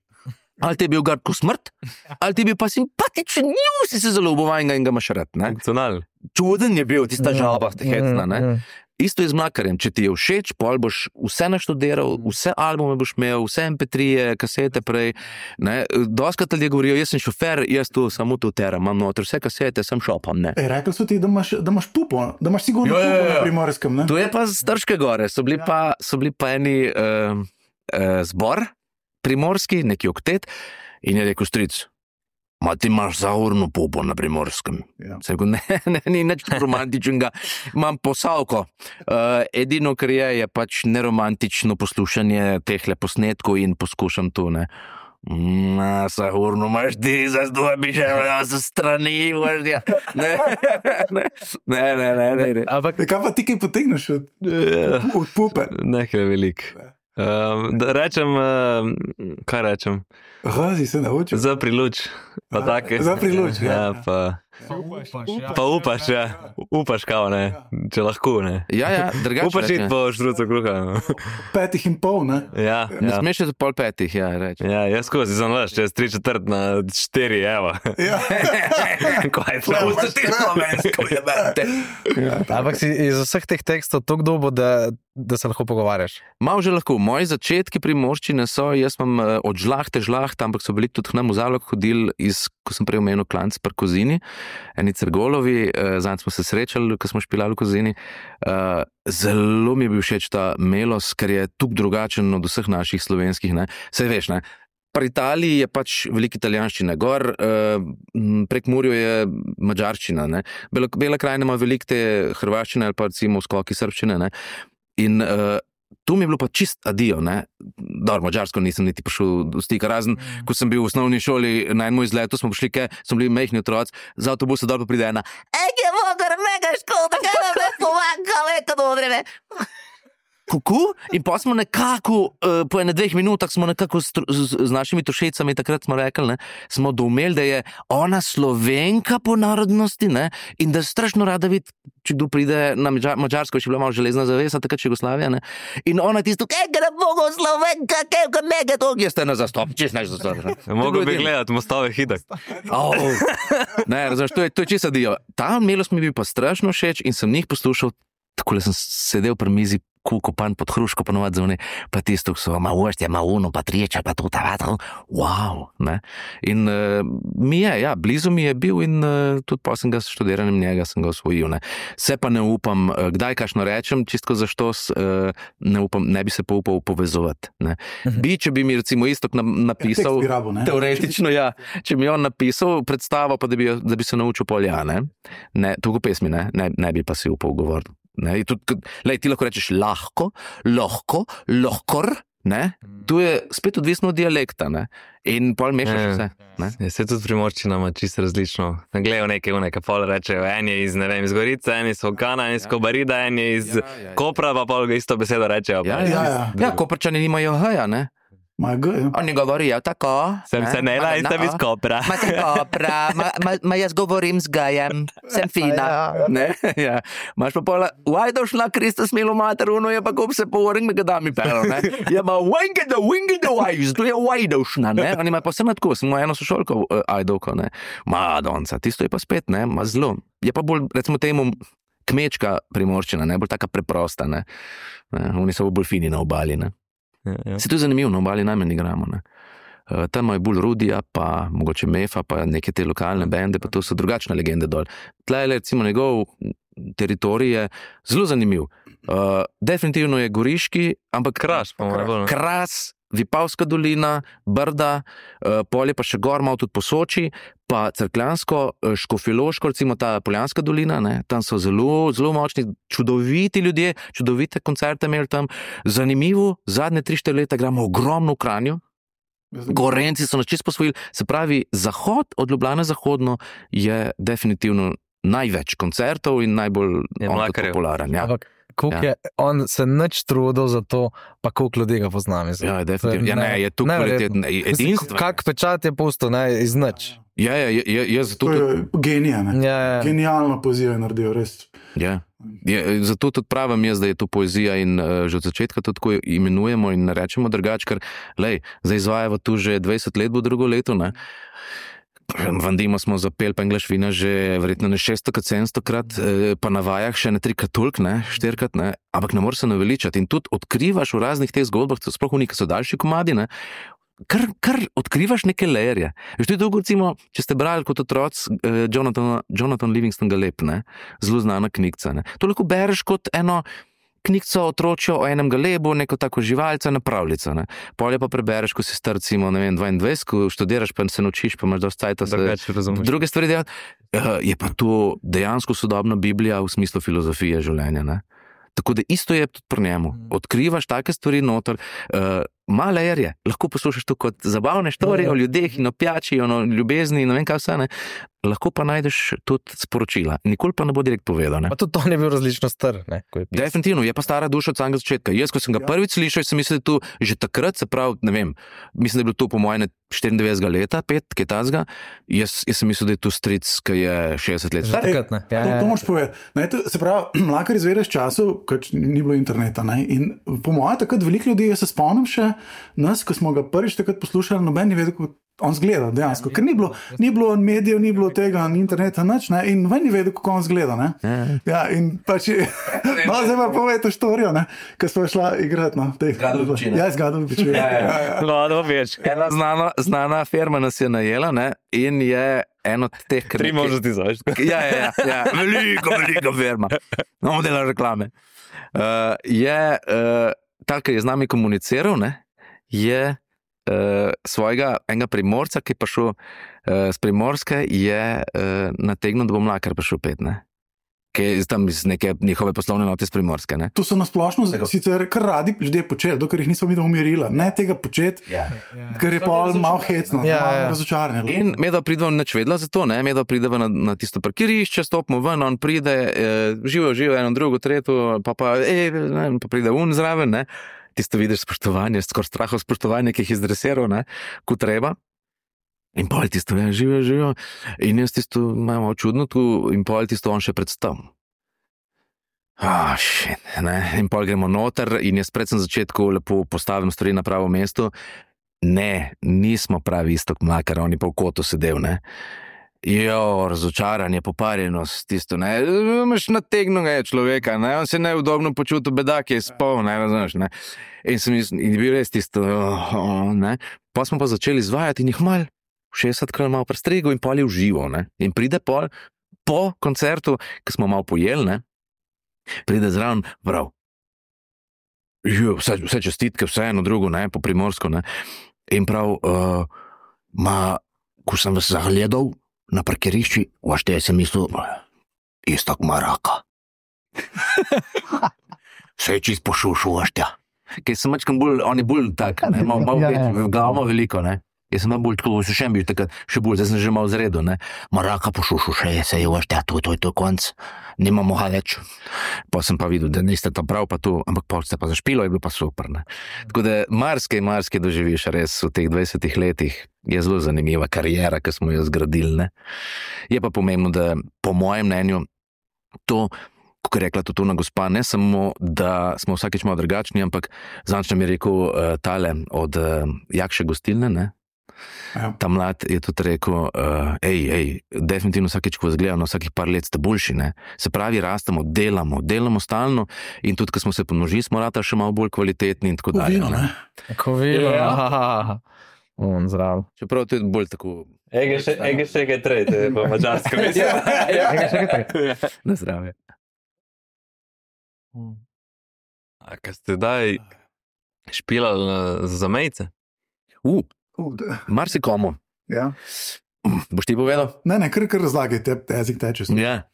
ali ti je bil gard ko smrt, ali ti je bil pa simpatičen, nju si se zelo obovajnega in ga imaš rad, ne. Funkcional. Čuden je bil, tista žalba, hecna, ne. Isto je z mlakarjem, če ti je všeč, pol boš vse naštudiral, vse albume boš imel, vse em pe trije, kasete prej, ne, doskrat ljudje govorijo, jaz sem šofer, jaz tu samo tu teram, imam noter vse kasete, sem šopam, ne. E, rekli so ti, da imaš, da imaš pupo, da imaš sigurno jo, pupo jo, jo. Na Primorskem, ne? To je pa z Trške gore, so bili ja. pa, so bili pa eni uh, uh, zbor primorski, neki oktet, in je rekel stric, ma ti imaš zaurno pupo na Primorskem. Ja. Se rekel, ne, ne, ni nič romantičnega, imam posavko. Uh, edino, kar je, je pač neromantično poslušanje tehle posnetkov in poskušam tu, ne. Na, zaurno imaš ti, za zdaj bi še za strani, vrstja. Ne, ne, ne, ne, ne, ne, ne. Ampak, kaj pa ti kaj potegneš od, od pupe? Nekaj velik. Um, da rečem, uh, kaj rečem? Razi se naučil. Za priluč. Pa take. Za priluč, ja. Ja, pa Pa upaš, ja. Upaš, kao, ne. Če lahko, ne. Ja, ja, drugače. Upaš iti po štrucu kruha. Petih in pol, ne? Ja, Ne ja. smeš za pol petih, ja, reči. Ja, jaz skozi sem veš, čez tri četrt na štiri, evo. Ja. Kaj je to? Ti slovensko jebate. Ampak si iz vseh teh tekstov tako dobo, da, da se lahko pogovarjaš. Malo že lahko. Moji začetki primorščine so, jaz imam uh, od žlahte žlahte, ampak so bili tudi k nam v Zalog hodili iz, ko sem prej omenil klanc pri Kozini, eni Cergolovi, uh, zanj smo se srečali, ko smo špilali v Kozini. Uh, zelo mi je bil všeč ta melos, ker je tuk drugačen od vseh naših slovenskih, ne. Saj veš, ne. Pri Italiji je pač veliko italijanščine, gor uh, prek Murjo je madžarščina, ne. Bela, Bela krajina ima veliko te hrvaščine ali pa recimo skoki srbščine, ne. In uh, tu mi je bilo pa čist adijo, ne. Dobro, madžarsko nisem niti prišel do stika, razen, mm. ko sem bil v osnovni šoli na enem izletu, smo prišli, ke smo bili mehni otroci, za avtobusa dol pa pride ena, ej, je mogar, mega škoda, kaj nam ne pomaga, veka odreme. Kuku, in pa smo nekako, uh, po ene dveh minutah smo nekako z, z, z našimi tošecami, takrat smo rekli, ne, smo doumeli, da je ona Slovenka po narodnosti, ne, in da strašno rada vidi, če kdo pride na Madžarsko, še bila malo železna zavesa, takrat Jugoslavija, ne, in ona tisto, kaj ga bogo Slovenka, kaj ga mega to, jaz te na zastop, češ neš zastop. Mogo bi gledati mostove hidak. Oh. Ne, razumeš, to je, to je čisto dio. Ta melost mi bi pa strašno všeč in sem njih poslušal, takole sem sedel pri mizi, kukopan pod hruško, ponovadi zunaj, pa tisto, so, ma uštje, ma uno, pa triječa, pa to, ta vata, wow, ne. In uh, mi je, ja, blizu mi je bil in uh, tudi pa sem ga s študiranjem njega sem ga osvojil, ne. Se pa ne upam, uh, kdaj kašno rečem, čistko za štos, uh, ne upam, ne bi se pa upal povezovati, ne. Bi, če bi mi recimo Istok na, napisal, Tekst bi rabo, ne? teoretično, ja, če mi on napisal predstavo, pa da bi, da bi se naučil polja, ne, ne, toliko pesmi, ne, ne, ne bi pa si upal govoriti. Ne, tudi, lej, ti lahko rečeš lahko, lahko, lahkor, ne, tu je spet odvisno od dialekta, ne, in pol mešaš vse, ne. Ja, se tudi primorščina ima čisto različno. Gledajo neke une, ki pol rečejo, en je iz, ne vem, iz Gorice, en iz Okana, en iz Kobarida, en je iz Ja, ja, ja. Kopra, pa pol isto besedo rečejo. Ja, Ja, ja, ja. ja, Koprčani nimajo h-ja, ne. Ma G, ja. Oni govorijo tako. Sem se nela in sem iz Kopra. Ma sem Kopra, ma, ma, ma jaz govorim z gajem, sem fina. Ne, ja. Imaš pa pola, Vajdošna, Kristus milo mater, uno je pa kup se povorim, me ga da mi pero, ne. Ja, ma winge da, winge da vajz, to je Vajdošna, ne. Oni ima pa vse tako, sem eno sošolko uh, Ajdovko, ne. Ma, donca, tisto je pa spet, ne, ma zelo. Je pa bolj, recimo temu, kmečka primorščina, ne, bolj taka preprosta, ne. ne. Oni so bolj fini na obali, ne. Ja, ja. Se to je zanimivo, na obali najmanj igramo, ne. Uh, tam je bolj Rudija, pa mogoče Mefa, pa neke te lokalne bende, pa to so drugačne legende dol. Tle je recimo njegov teritorij je zelo zanimiv. Uh, definitivno je goriški, ampak Kras, pa mora bolj. Kras, Vipavska dolina, Brda, uh, polje pa še gor, malo tudi po Soči, pa Cerkljansko, uh, Škofjeloško, recimo ta Poljanska dolina, ne, tam so zelo, zelo močni, čudoviti ljudje, čudovite koncerte imeli tam. Zanimivo, zadnje tri štiri leta igramo ogromno v Kranju, Gorenci so nas čisto posvojili, se pravi, zahod od Ljubljane zahodno je definitivno največ koncertov in najbolj Je on tudi Mlakarjev. popularen. Ja. Ampak koliko Ja. je on se nič trudil za to, pa koliko ljudi ga pozna, mislim. Ja, definitivno. Ja, ne, je tu neverjetno. kvaliteten, Mislim, edinstven. kak pečat je pustil, ne, iz nič. Ja, ja, je, je, je zato To tudi, je genija, ne. Ja, ja. Genialno poezijo je naredil, res. ja. Je, zato tudi pravim jaz, da je to poezija in uh, že od začetka to tako imenujemo in ne rečemo drugače, ker lej, zdaj izvajamo tu že dvajset let, bo drugo leto, ne. Vandimo smo zapeli pa English vina že verjetno ne šeststokrat, sedemstokrat, eh, pa na vajah še ne trikrat toliko, ne, štirikrat, ne, ampak ne moreš se naveličati in tudi odkrivaš v raznih teh zgodbah, sploh v neki so daljši komadi, ne, kar, kar odkrivaš neke lejerje. Veš, to je dolgo, recimo, če ste brali kot otroc eh, Jonathan, Jonathan Livingston Galep, ne, zelo znana knjigca, ne, to lahko bereš kot eno knjigco otročjo o enem galebu, neko tako živalca, napravljica, ne. Polje pa prebereš, ko si star, recimo, ne vem, dvaindvajset, ko študiraš, pa se naučiš, pa imaš dosti cajta se Drugače razumeš. druge stvari delati. Uh, je pa to dejansko sodobna Biblija v smislu filozofije življenja, ne. Tako da isto je tudi pri njemu. Odkrivaš take stvari noter, uh, male erje, lahko poslušaš to kot zabavne štorije o ljudeh in o pijači, in o ljubezni in ne vem kaj vse, ne. Lahko pa najdeš tudi sporočila. Nikoli pa ne bo direkt povedal, ne. Pa tudi to je bil različno star, ne. Ko je pisal. Definitivno, je pa stara duša od samega začetka. Jaz, ko sem ga prvič slišal, sem mislil, da tu že takrat, se pravi, ne vem, mislim, da je bilo to po mojem štiriindevetdesetega leta, pet, kaj tazga. Jaz, jaz sem mislil, da je tu stric, ki je šestdeset let Že star. takrat, ne. Ja, To, ja, to ja. moraš povedati. Ne, to, se pravi, Mlakar izvedeš času, ko ni bilo interneta. Ne? In po mojem, takrat veliko ljudi, jaz se spomnim še nas, ko smo ga prvič takrat poslušali, noben ni vedel, kako on zgleda dejansko. Ker ni bilo, ni bilo medijev, ni bilo tega, ni interneta, nič, ne? In noben ni vedel, kako on zgleda. Ne? Ja, in pač, no, zdaj pa povej to štorijo, ne? Ko smo šla igrati. No, Zgadov pečine. Ja, zgadov pečine. Ja, ja, ja. No, da več. Ena znana, znana firma nas je najela, ne, in je en od teh, kar Tri možnosti znaš. Ja, ja, ja, ja. Veliko, veliko firma. No, dela reklame. Uh, je uh, ta, ki je z nami komuniciral, ne, je uh, svojega enega Primorca, ki je prišel uh, z Primorske, je uh, nategnil, da bo Mlakar prišel pet, ne. Ki je tam iz neke njihove poslovne note iz Primorske, ne. To so nasplošno sicer kar radi ljudje počeli, dokler jih nismo videli umirila. Ne tega početi, Ja. ker je pa malo hecno, Ja, malo ja. razočaranje. In medva prideva nič vedela za to, ne, medva prideva na, na tisto parkirišče, stopimo ven, on pride, eh, živo, živo, eno, drugo, tretjo, pa pa, eh, ne, pa pride un zraven, ne, tisto vidiš spoštovanje, skoraj strahov spoštovanje, ki jih izdresiral, ne, ko treba. In pol tisto, ja, živo, živo, in jaz tisto imamo čudno tu, in pol tisto on še predstavim. Ah, shit, ne, in pol gremo noter in jaz predvsem začetku lepo postavim stvari na pravo mesto. Ne, nismo pravi Iztok Mlakar, on je pa v kotu sedel, ne. Jo, razočaranje, poparjenost, tisto, ne, imaš nategnega človeka, ne, on se neudobno počutil, bedak je spol, ne, razumeš, ne. In sem jaz, in je bil res tisto, oh, oh, ne. Pa smo pa začeli izvajati in jih mal, šestdesetkrat malo prestrigel in pol je uživo, ne. In pride pol, po koncertu, ko smo malo pojeli, ne, pride zraven, prav. Jo, vse, vse čestitke, vse eno drugo, ne, po Primorsko, ne. In prav, uh, ma, ko sem vas zagledal na parkirišči, vašte sem mislil, Iztok ima raka. Vse je čist pošušil, vašte. Ker sem mačkam bolj, on je bolj tak, ne, malo, malo Ja, več, ja. glavo veliko, ne. Jaz sem bolj tako, še bil takrat, še bolj, zdaj sem že malo zredu, ne. Ma raka pošušil, še je, se je, vašte, to, to je to konc, nimamo ga več. Pa sem pa videl, da niste to prav, pa to, ampak pol ste pa zašpilo, je bilo pa super, ne. Tako da marsikaj, marsikaj doživiš res v teh dvajsetih letih. Je zelo zanimiva karijera, ki smo jo zgradili, ne. Je pa pomembno, da po mojem mnenju to, kot je rekla tudi ona gospa, ne samo, da smo vsakič malo drugačni, ampak zadnjič nam je rekel uh, tale od uh, Jakše gostilne, ne. Ja. Ta mlad je tudi rekel, uh, ej, ej, definitivno vsakeč, ko vas gledam, na vsakih par let ste boljši, ne. Se pravi, rastemo, delamo, delamo stalno in tudi, ko smo se pomnožili, smo ratali še malo bolj kvalitetni in tako dalje. Kovino, ne. ne. Kovilo, Ja. ja. On zdrav. Čeprav to je bolj tako Ege še, ege še kaj tretje, po mačarsko mislim. Ega še kaj takega. na zdravje. A kaj ste daj špilali na- za zamejce? Uh, Uh, da- marsikomu. ja. Boš ti povedal? Ne, ne, kar, kar razlagaj, te, te jezik teče. Ja.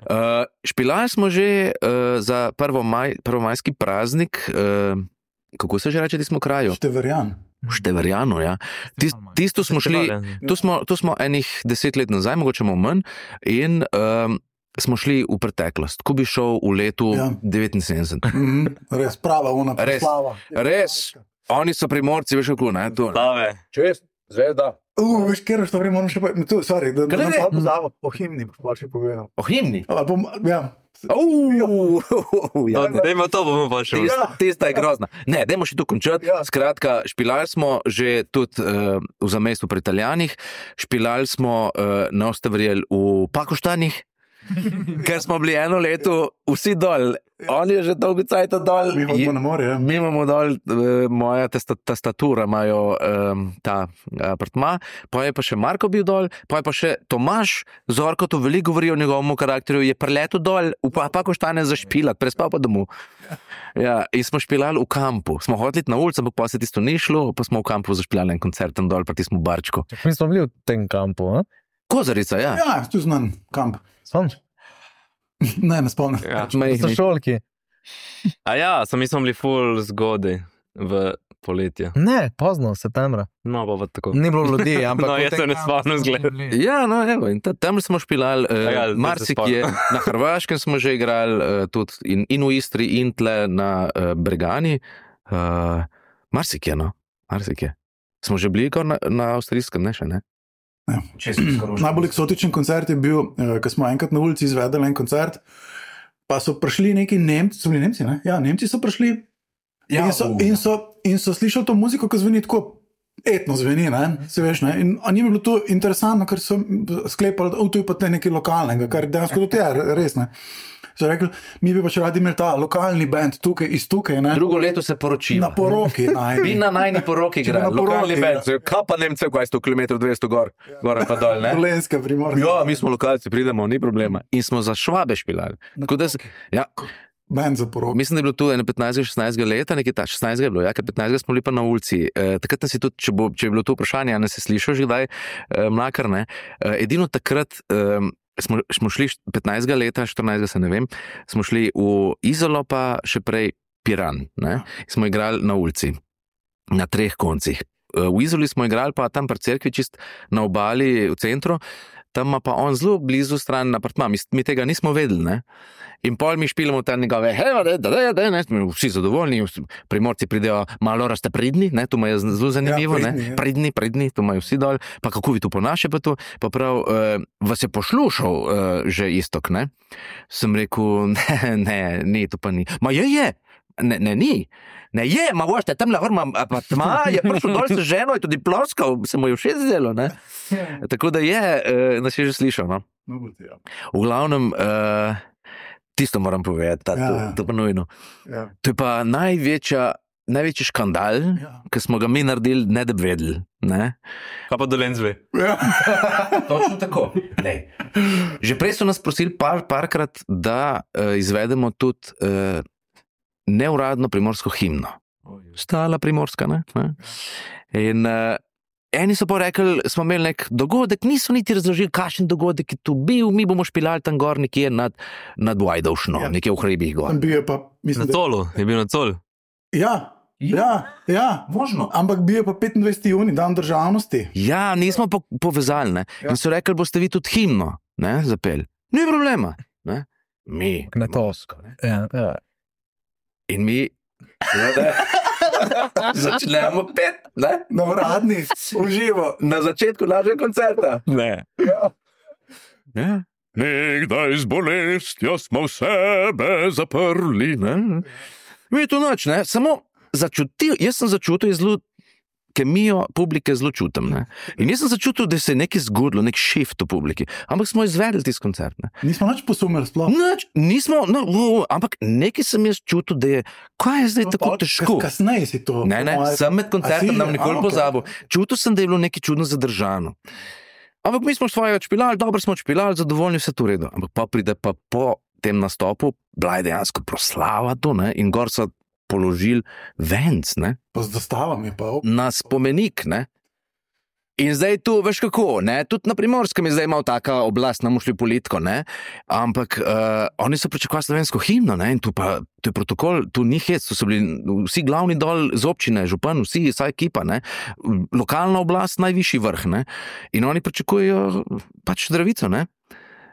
Uh, špilali smo že uh, za prvomaj, prvomajski praznik, uh, kako se že reče, ti smo kraju? Števerjan. V Števerjanu, ja. Tis, tisto smo šli, tu smo, tu smo enih deset let nazaj, mogoče malo manj, in um, smo šli v preteklost, ko bi šel v letu Ja. devetinsedemdeset. Mhm, res, prava ona Res. proslava. Res. Oni so Primorci, veš kako, ne? To, Slave. čest, zvezda. Uh, veš, kjer što vreme moram še povedati, tu, sorry, da, da Kaj nam ne? pa pozavo, o himni boš pa še povedal. O himni. A, bom, ja. Uh, ja. Dajmo to, bomo pa še. Tista, tista je grozna. Ne, dajmo še tu končati. Ja. Skratka, špilali smo že tudi uh, v zamejstvu pri Italijanih, špilali smo, uh, ne boste verjeli, v Pakoštanih, ker smo bili eno leto vsi dol. On je že dolgo cajta dol. Mi hodimo na more, ja. Mi imamo dol, uh, moja testa, tastatura imajo um, ta apartma, pa je pa še Marko bil dol, pa je pa še Tomaž, Zorko to veliko govori o njegovem karakterju, je preletel dol v pa, Pakoštane zašpilat, prespal pa domov. Ja, in smo špilali v kampu. Smo hodili na ulico, ampak pa se tisto ni šlo, pa smo v kampu zašpilali en koncert tam dol, pa tismo barčko. Mi smo bili v tem kampu, a? Kozarica, ja. Ja, tu znan kamp. Spomniš? Ne, ne spomnim. Ja. So Majhni. šolki. A ja, so mi smo bili full zgodaj. v poletje. Ne, pozno, septembra. No, pa, pa tako. Ni bilo ljudi, ampak... No, jaz se ne spomnim zgled. Ja, no, evo, in ta, tam smo špilali, uh, Ja, zdaj se marsikje, na Hrvaškem smo že igrali, uh, tudi in, in v Istri, in tle na uh, Bregani. Uh, marsikje, no, marsikje. Smo že bili kar na, na avstrijskem, ne še, ne? Ja. Najbolj eksotičen koncert je bil, uh, ko smo enkrat na ulici izvedeli en koncert, pa so prišli neki Nemci, so bili Nemci, ne? Ja, Nemci so prišli ja, in, so, in, so, in so slišali to muziko, ki zveni tako etno zveni, ne? Se veš, ne? In njim je bilo to interesantno, ker so sklepali, da to je pa te nekaj lokalnega, kar dejansko tudi je, res, ne? So rekli, mi bi pač radi imeli ta lokalni band tukaj, iz tukaj, ne? Drugo leto se poročimo. Na poroki najni. Vi na najni poroki igra, lokalni band, kaj pa Nemce, kaj sto kilometrov, dvesto gor, gor pa dol, ne? Dolenska, Primorska. Ja, mi smo lokalci, pridemo, ni problema. In smo za Švabe špilali. Tako da, ja, band za porok. mislim, da je bilo tu ene petnajstega šestnajstega leta, nekaj ta, šestnajstega je bilo, ja, ker petnajstega smo bili pa na ulici. E, takrat nas je tudi, če, bo, če je bilo to vprašanje, a nas je slišal že kdaj, e, Mlakar, ne? E, edino takrat, e, smo, smo šli petnajstega leta, štirinajstega se ne vem, smo šli v Izolo pa še prej Piran, ne? Smo igrali na ulici, na treh koncih. E, v Izoli smo igrali pa tam pri cerkvi, čist na obali v centru, tam ima pa on zelo blizu stran apartma, mi, mi tega nismo vedeli, ne? In pol mi špilamo tam njegove, hej, da, da, da, da, ne, vsi zadovoljni, Primorci pridejo, malo raste pridni, ne, to je zelo zanimivo, ja, pridni, ne, ja. pridni, pridni, to imajo vsi dol, pa kako vi tu ponaše pa tu, pa prav, uh, vas je poslušal uh, že Istok, ne? Sem rekel, ne, ne, ni, to pa ni. Ma je, je, ne, ne, ni. Ne je, ma vošte, tam lahko ima apartma, je prišel dol s ženo, je tudi ploskal, se mu je všeč zdelo, ne? Tako da je, uh, nas je že slišal, no? V glavnem, uh, tisto moram povedati, ta, ja, to, ja. to pa nujno. Ja. To je pa največja, največji škandal, Ja. ki smo ga mi naredili, ne da bi vedeli, ne? Kaj pa Dolenc ve? Točno tako. Ne. Že prej so nas prosili par, parkrat, da uh, izvedemo tudi uh, neuradno primorsko himno. Stala primorska, ne? ne? In uh, eni so pa rekli, smo imeli nek dogodek, niso niti razložili, kakšen dogodek je tu bil, mi bomo špilali tam gor nekje nad, nad Vajdovšno, Ja. nekje v hribih gor. Tam bil je pa, Na mislim, da... Colu, je bil na Col. Ja, ja, ja. Možno. Ampak bil je pa petindvajseti junij, dan državnosti. Ja, nismo po, povezali, ne? Ja. In so rekli, boste vi tudi himno, ne, zapeli. Ni problema, ne? Mi. Knetosko. Ja, ja. In mi začnemo pet, ne? Na uradni, v živo. Na začetku našega koncerta. Ne. Ja. Ja. Nekdaj z bolestjo smo v sebe zaprli, ne? Mi to noč, ne? Samo začutil, jaz sem začutil zelo kemijo publike zelo čutim, ne? In jaz sem začutil, da se je nekaj zgodilo, nek shift v publiki. Ampak smo izvedli tisti koncert, ne? Nismo nič posumili sploh. Nič, nismo, no, no, ampak nekaj sem jaz čutil, da je, kaj je zdaj No, tako pa težko. kas- Kasneje si to. Ne, ne, po moje- sem med koncertom A si? nam nikoli A, okej. pozabil. Čutil sem, da je bilo nekaj čudno zadržano. Ampak mi smo svoje odšpilali, dobro smo odšpilali, zadovoljni, vse to v redu. Ampak pa pride pa po tem nastopu, bila je dejansko proslava to, ne, in gor so položili venc, ne, Pa z zastavami pa. op. na spomenik, ne. In zdaj tu, veš kako, ne, tudi na Primorskem je zdaj imel taka oblast, nam šli politiko, ne, ampak uh, oni so pričakovali slovensko himno, ne, in tu pa, tu je protokol, tu ni hec, tu so bili vsi glavni dol z občine, župan, vsi, vsa ekipa, ne, lokalna oblast, najvišji vrh, ne, in oni pričakujejo pač zdravico, ne,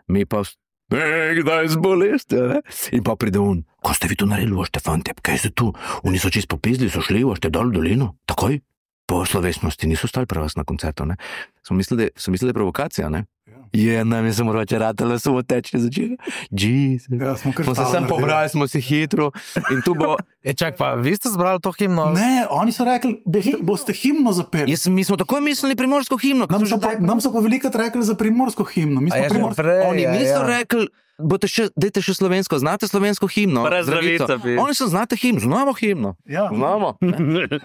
mi pa nekdaj z bolestjo, ne, in pa pride on, ko ste vi to naredili, vošte fantje, kaj ste tu, oni so čist popizli, so šli, vošte dol v dolino, takoj, po slovesnosti, niso stali pri vas na koncertu, ne, so mislili, so mislili, da je provokacija, ne, je, nam je samo roče ratalo, samo teče začeli, Jesus. Ja, smo kar Smo se stalo sem naredili. pobrali, smo se hitro in tu bo, E, čak, pa vi ste zbrali to himno? Ne, oni so rekli, boste, boste himno zapeli. jaz, mi smo takoj mislili primorsko himno. Nam so, pa, nam so pa velikrat rekli za primorsko himno. Mi A smo je že primorsko. prej, Oni ja, niso ja. rekli, boste še, dajte še slovensko, znate slovensko himno? Brez Zdravico. zdravica bi. Oni so znate himno, znamo himno. Ja. Znamo.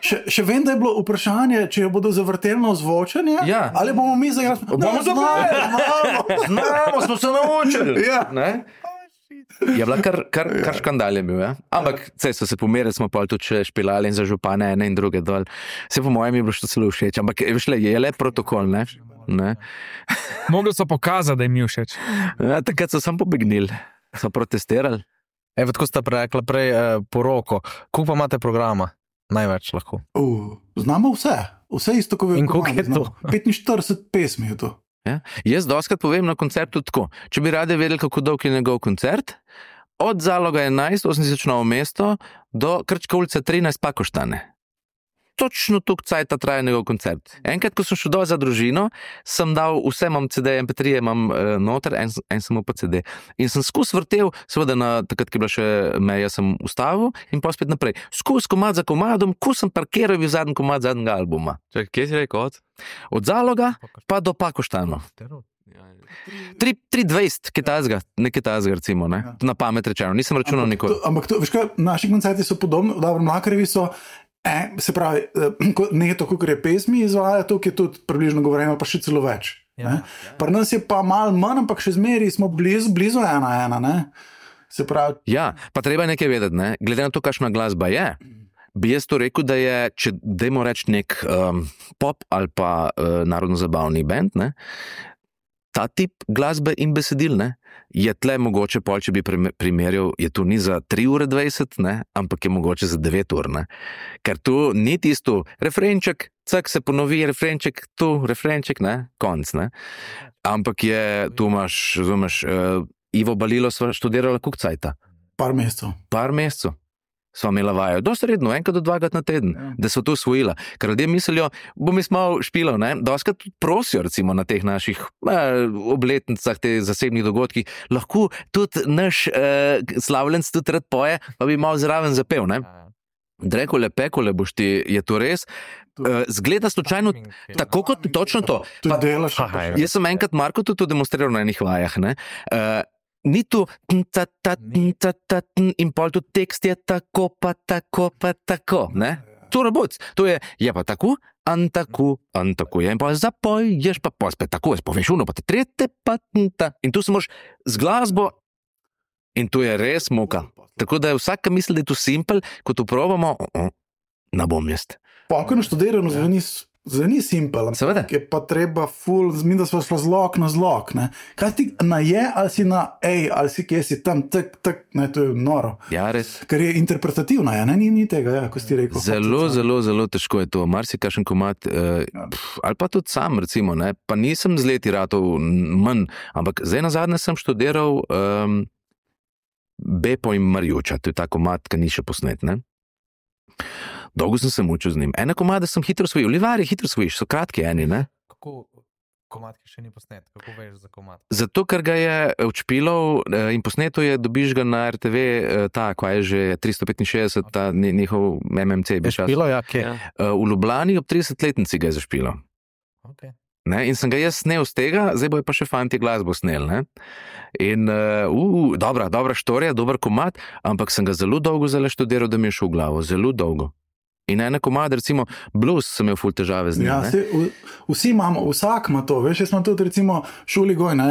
Še, še vem, da je bilo vprašanje, če jo bodo zavrteli na ozvočenje, Ja. ali bomo mi zagrali. Bomo zagrali. znamo. Znamo, smo se naučili. Ja. Ne? Je bila kar, kar, kar škandal je bil, ja? Ampak saj so se pomerili, smo pa tudi še špilali in za župane ene in druge dol. Se po mojem je bilo še celo všeč, ampak veš le, je le protokol, ne? ne? Mogli so pokazati, da jim je všeč. Ja, takrat so sam pobegnili, so protestirali. Evo, tako ste rekli prej eh, poroko. Koliko pa imate programa največ lahko. Uh, znamo vse, vse isto, kot In koliko je to? petinštirideset pesmi je to. Ja? Jaz doskrat povem na koncertu tako, če bi radi vedeli, kako dolg je njegov koncert, od Zaloga enajst, osem tisoč Novo mesto, do Krčka ulica trinajst Pakoštane. Točno tuk cajta traja njegov koncert. Enkrat, ko sem šel dol za družino, sem dal vse, imam C D, M P tri, imam uh, noter, en, en samo pa C D. In sem skus vrtel, seveda na takrat, ki je bila še meja, sem ustavil in pa spet naprej. Skus komad za komadom, ko sem parkiral bil zadnji komad zadnjega albuma. Čakaj, kje si rekel od? Od Zaloga pa do Pakoštano. tri dvajset, kitajskega, nekaj tajskega recimo, ne? Na pamet rečeno, nisem računal nikoli. To, ampak to, veš kaj, naši koncerti so podobni, dobro, Mlakarjevi so, eh, se pravi, ne to, kot je pesmi izvaja, to, ki je tudi približno govorimo, pa še celo več. Ja, ja. Pri nas je pa malo manj, ampak še zmeri smo blizu, blizu ena ena, ne? Se pravi... Ja, pa treba nekaj vedeti, ne? Glede na to, kakšna glasba je, bi jaz to rekel, da je, če dajmo reči nek um, pop ali pa uh, narodno-zabavni band, ne? Ta tip glasbe in besedil, ne, je tle mogoče pol, če bi primerjal, je tu ni za tri ure dvajset, ne, ampak je mogoče za devet ur, ne. Ker tu ni tisto refrenček, cak se ponovi, refrenček, tu, refrenček, ne, konc, ne. Ampak je, tu imaš, razumeš, uh, Ivo Balilo sva študirala koliko cajta? Par mesecev. Par mesecev. Sva imela vajo, dosti redno, enkrat do dvakrat na teden, ja. Da so to usvojila. Ker ljudje mislijo, bom jaz malo špilal, ne, doskrat tudi prosijo recimo na teh naših eh, obletnicah, teh zasebnih dogodkih, lahko tudi naš eh, slavljenc tudi rad poje, pa bi malo zraven zapel, ne. Drekole, pekole boš ti, je to res? Uh, zgleda slučajno, tako kot točno to. Pa, delaš, jaz sem enkrat Marko tudi to demonstriral na enih vajah, ne. Uh, Ni tu in pol tu tekst je tako, pa tako, pa tako, ne? To roboc, to je, je pa tako, an tako, an tako, je in pa zapoj, ješ pa pa spet tako, jaz poveš uno, pa te trete, pa ta. In tu se moraš z glasbo in tu je res muka. Tako da je vsaka misli, da je tu simpel, ko to probamo, ne bom jaz. Pa, ko je naštudirano, zveni Zveni simpel, seveda. Je pa treba ful, zmin, da smo šla zlok na zlok, ne. Kaj ti na je, ali si na ej, ali si kje si tam, tak, tak, ne, to je noro. Ja, res. Ker je interpretativna, ja, ne, ni, ni tega, ja, ko si ti rekel. Zelo, zelo, zelo težko je to, marsikakšen komad, eh, pf, ali pa tudi sam, recimo, ne, pa nisem z leti ratov manj, ampak zdaj nazadnje sem študiral um, Bepo in Marjuča, to je ta komad, ki ni še posnet, ne. Dolgo sem se mučil z njim. Ene komade sem hitro svojil. Livarje hitro svojiš, so kratki eni, ne? Kako komad, ki še ni posnet? Kako veš za komad? Zato, ker ga je odšpilal in posneto je, dobiš ga na R T V, ta, kva je že tristo petinšestdeset, ta njihov M M C. Je špilo, ja, kje? V Ljubljani ob tridesetletnici ga je zašpilal. Ok. Ne, in sem ga jaz snel z tega, zdaj bojo pa še fanti glasbo snel, ne. In, uh, uh, dobra, dobra štorija, dober komad, ampak sem ga zelo dolgo zelo študiral, da mi je šel v glavo, zelo dolgo. In ene komade, recimo blues, sem imel ful težave z njim. Ja, se, v, vsi imamo, vsak ima to, veš, jaz imam tudi recimo šoli goj, ne,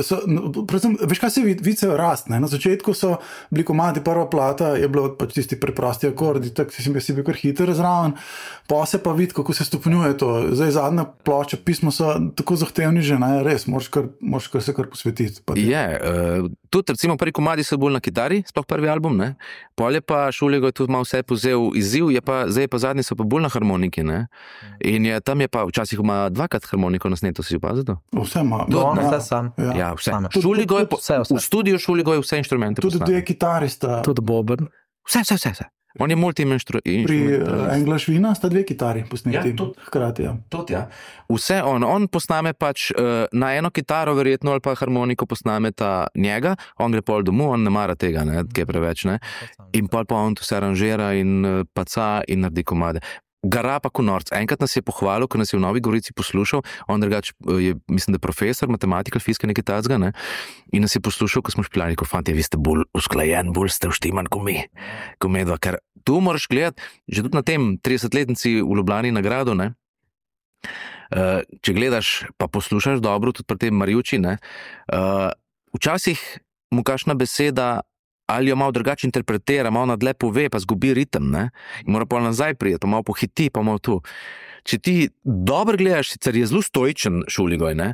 so, predvsem, veš kaj se vice rast, ne, na začetku so bili komadi, prva plata je bilo pač tisti preprosti akordi, tak si, si bil kar hiter zraven, pa se pa vidi, kako se stopnjuje to, zdaj zadnja ploča, pismo so tako zahtevni že, ne, res, moraš kar, moraš kar se kar posvetiti. Je, uh, tudi recimo prvi komadi so bolj na kitari, sploh prvi album, ne, pol je pa Šuligo je tudi malo vse pozel izziv, je pa zdaj pa zadnji so pa bolj na harmoniki, ne? In je, tam je pa včasih ima dvakrat harmoniko na sneto, si opazil to? Vse ima. No, no, vse sam. Ja, ja vse. Tudi, Šuligo je, tudi, vse, vse. v studiu Šuligo je vse inštrumente tudi dve kitari sta. Tudi boben. Vse, vse, vse, vse. On je multi-inštrument. Pri uh, Englašvina sta dve kitari posneti. Ja, tudi. Hkrati, ja. Tudi, ja. Vse on, on posname pač uh, na eno kitaro verjetno ali pa harmoniko posname ta njega, on gre pol domu, on ne mara tega, ne, kaj preveč, ne. In pol pa on to se aranžira in uh, paca in naredi komade. Gara pa konorc. Enkrat nas je pohvalil, ko nas je v Novi Gorici poslušal, on drugač je, mislim, da profesor, matematika, fizika, nekaj tacga, ne, in nas je poslušal, ko smo špilali, ko fanti, vi ste bolj usklajen, bolj ste uštiman, ko mi, ko medva, ker tu moraš gledati, že tudi na tem tridesetletnici v Ljubljani nagrado, ne, uh, če gledaš, pa poslušaš dobro, tudi pri tem Marjuči, ne, uh, včasih mu kakšna beseda ali jo malo drugače interpretira, malo nadle pove, pa zgubi ritem, ne? In mora pa nazaj prijeti, malo pohiti, pa malo tu. Če ti dobro gledaš, sicer je zelo stoičen Šuligoj, ne?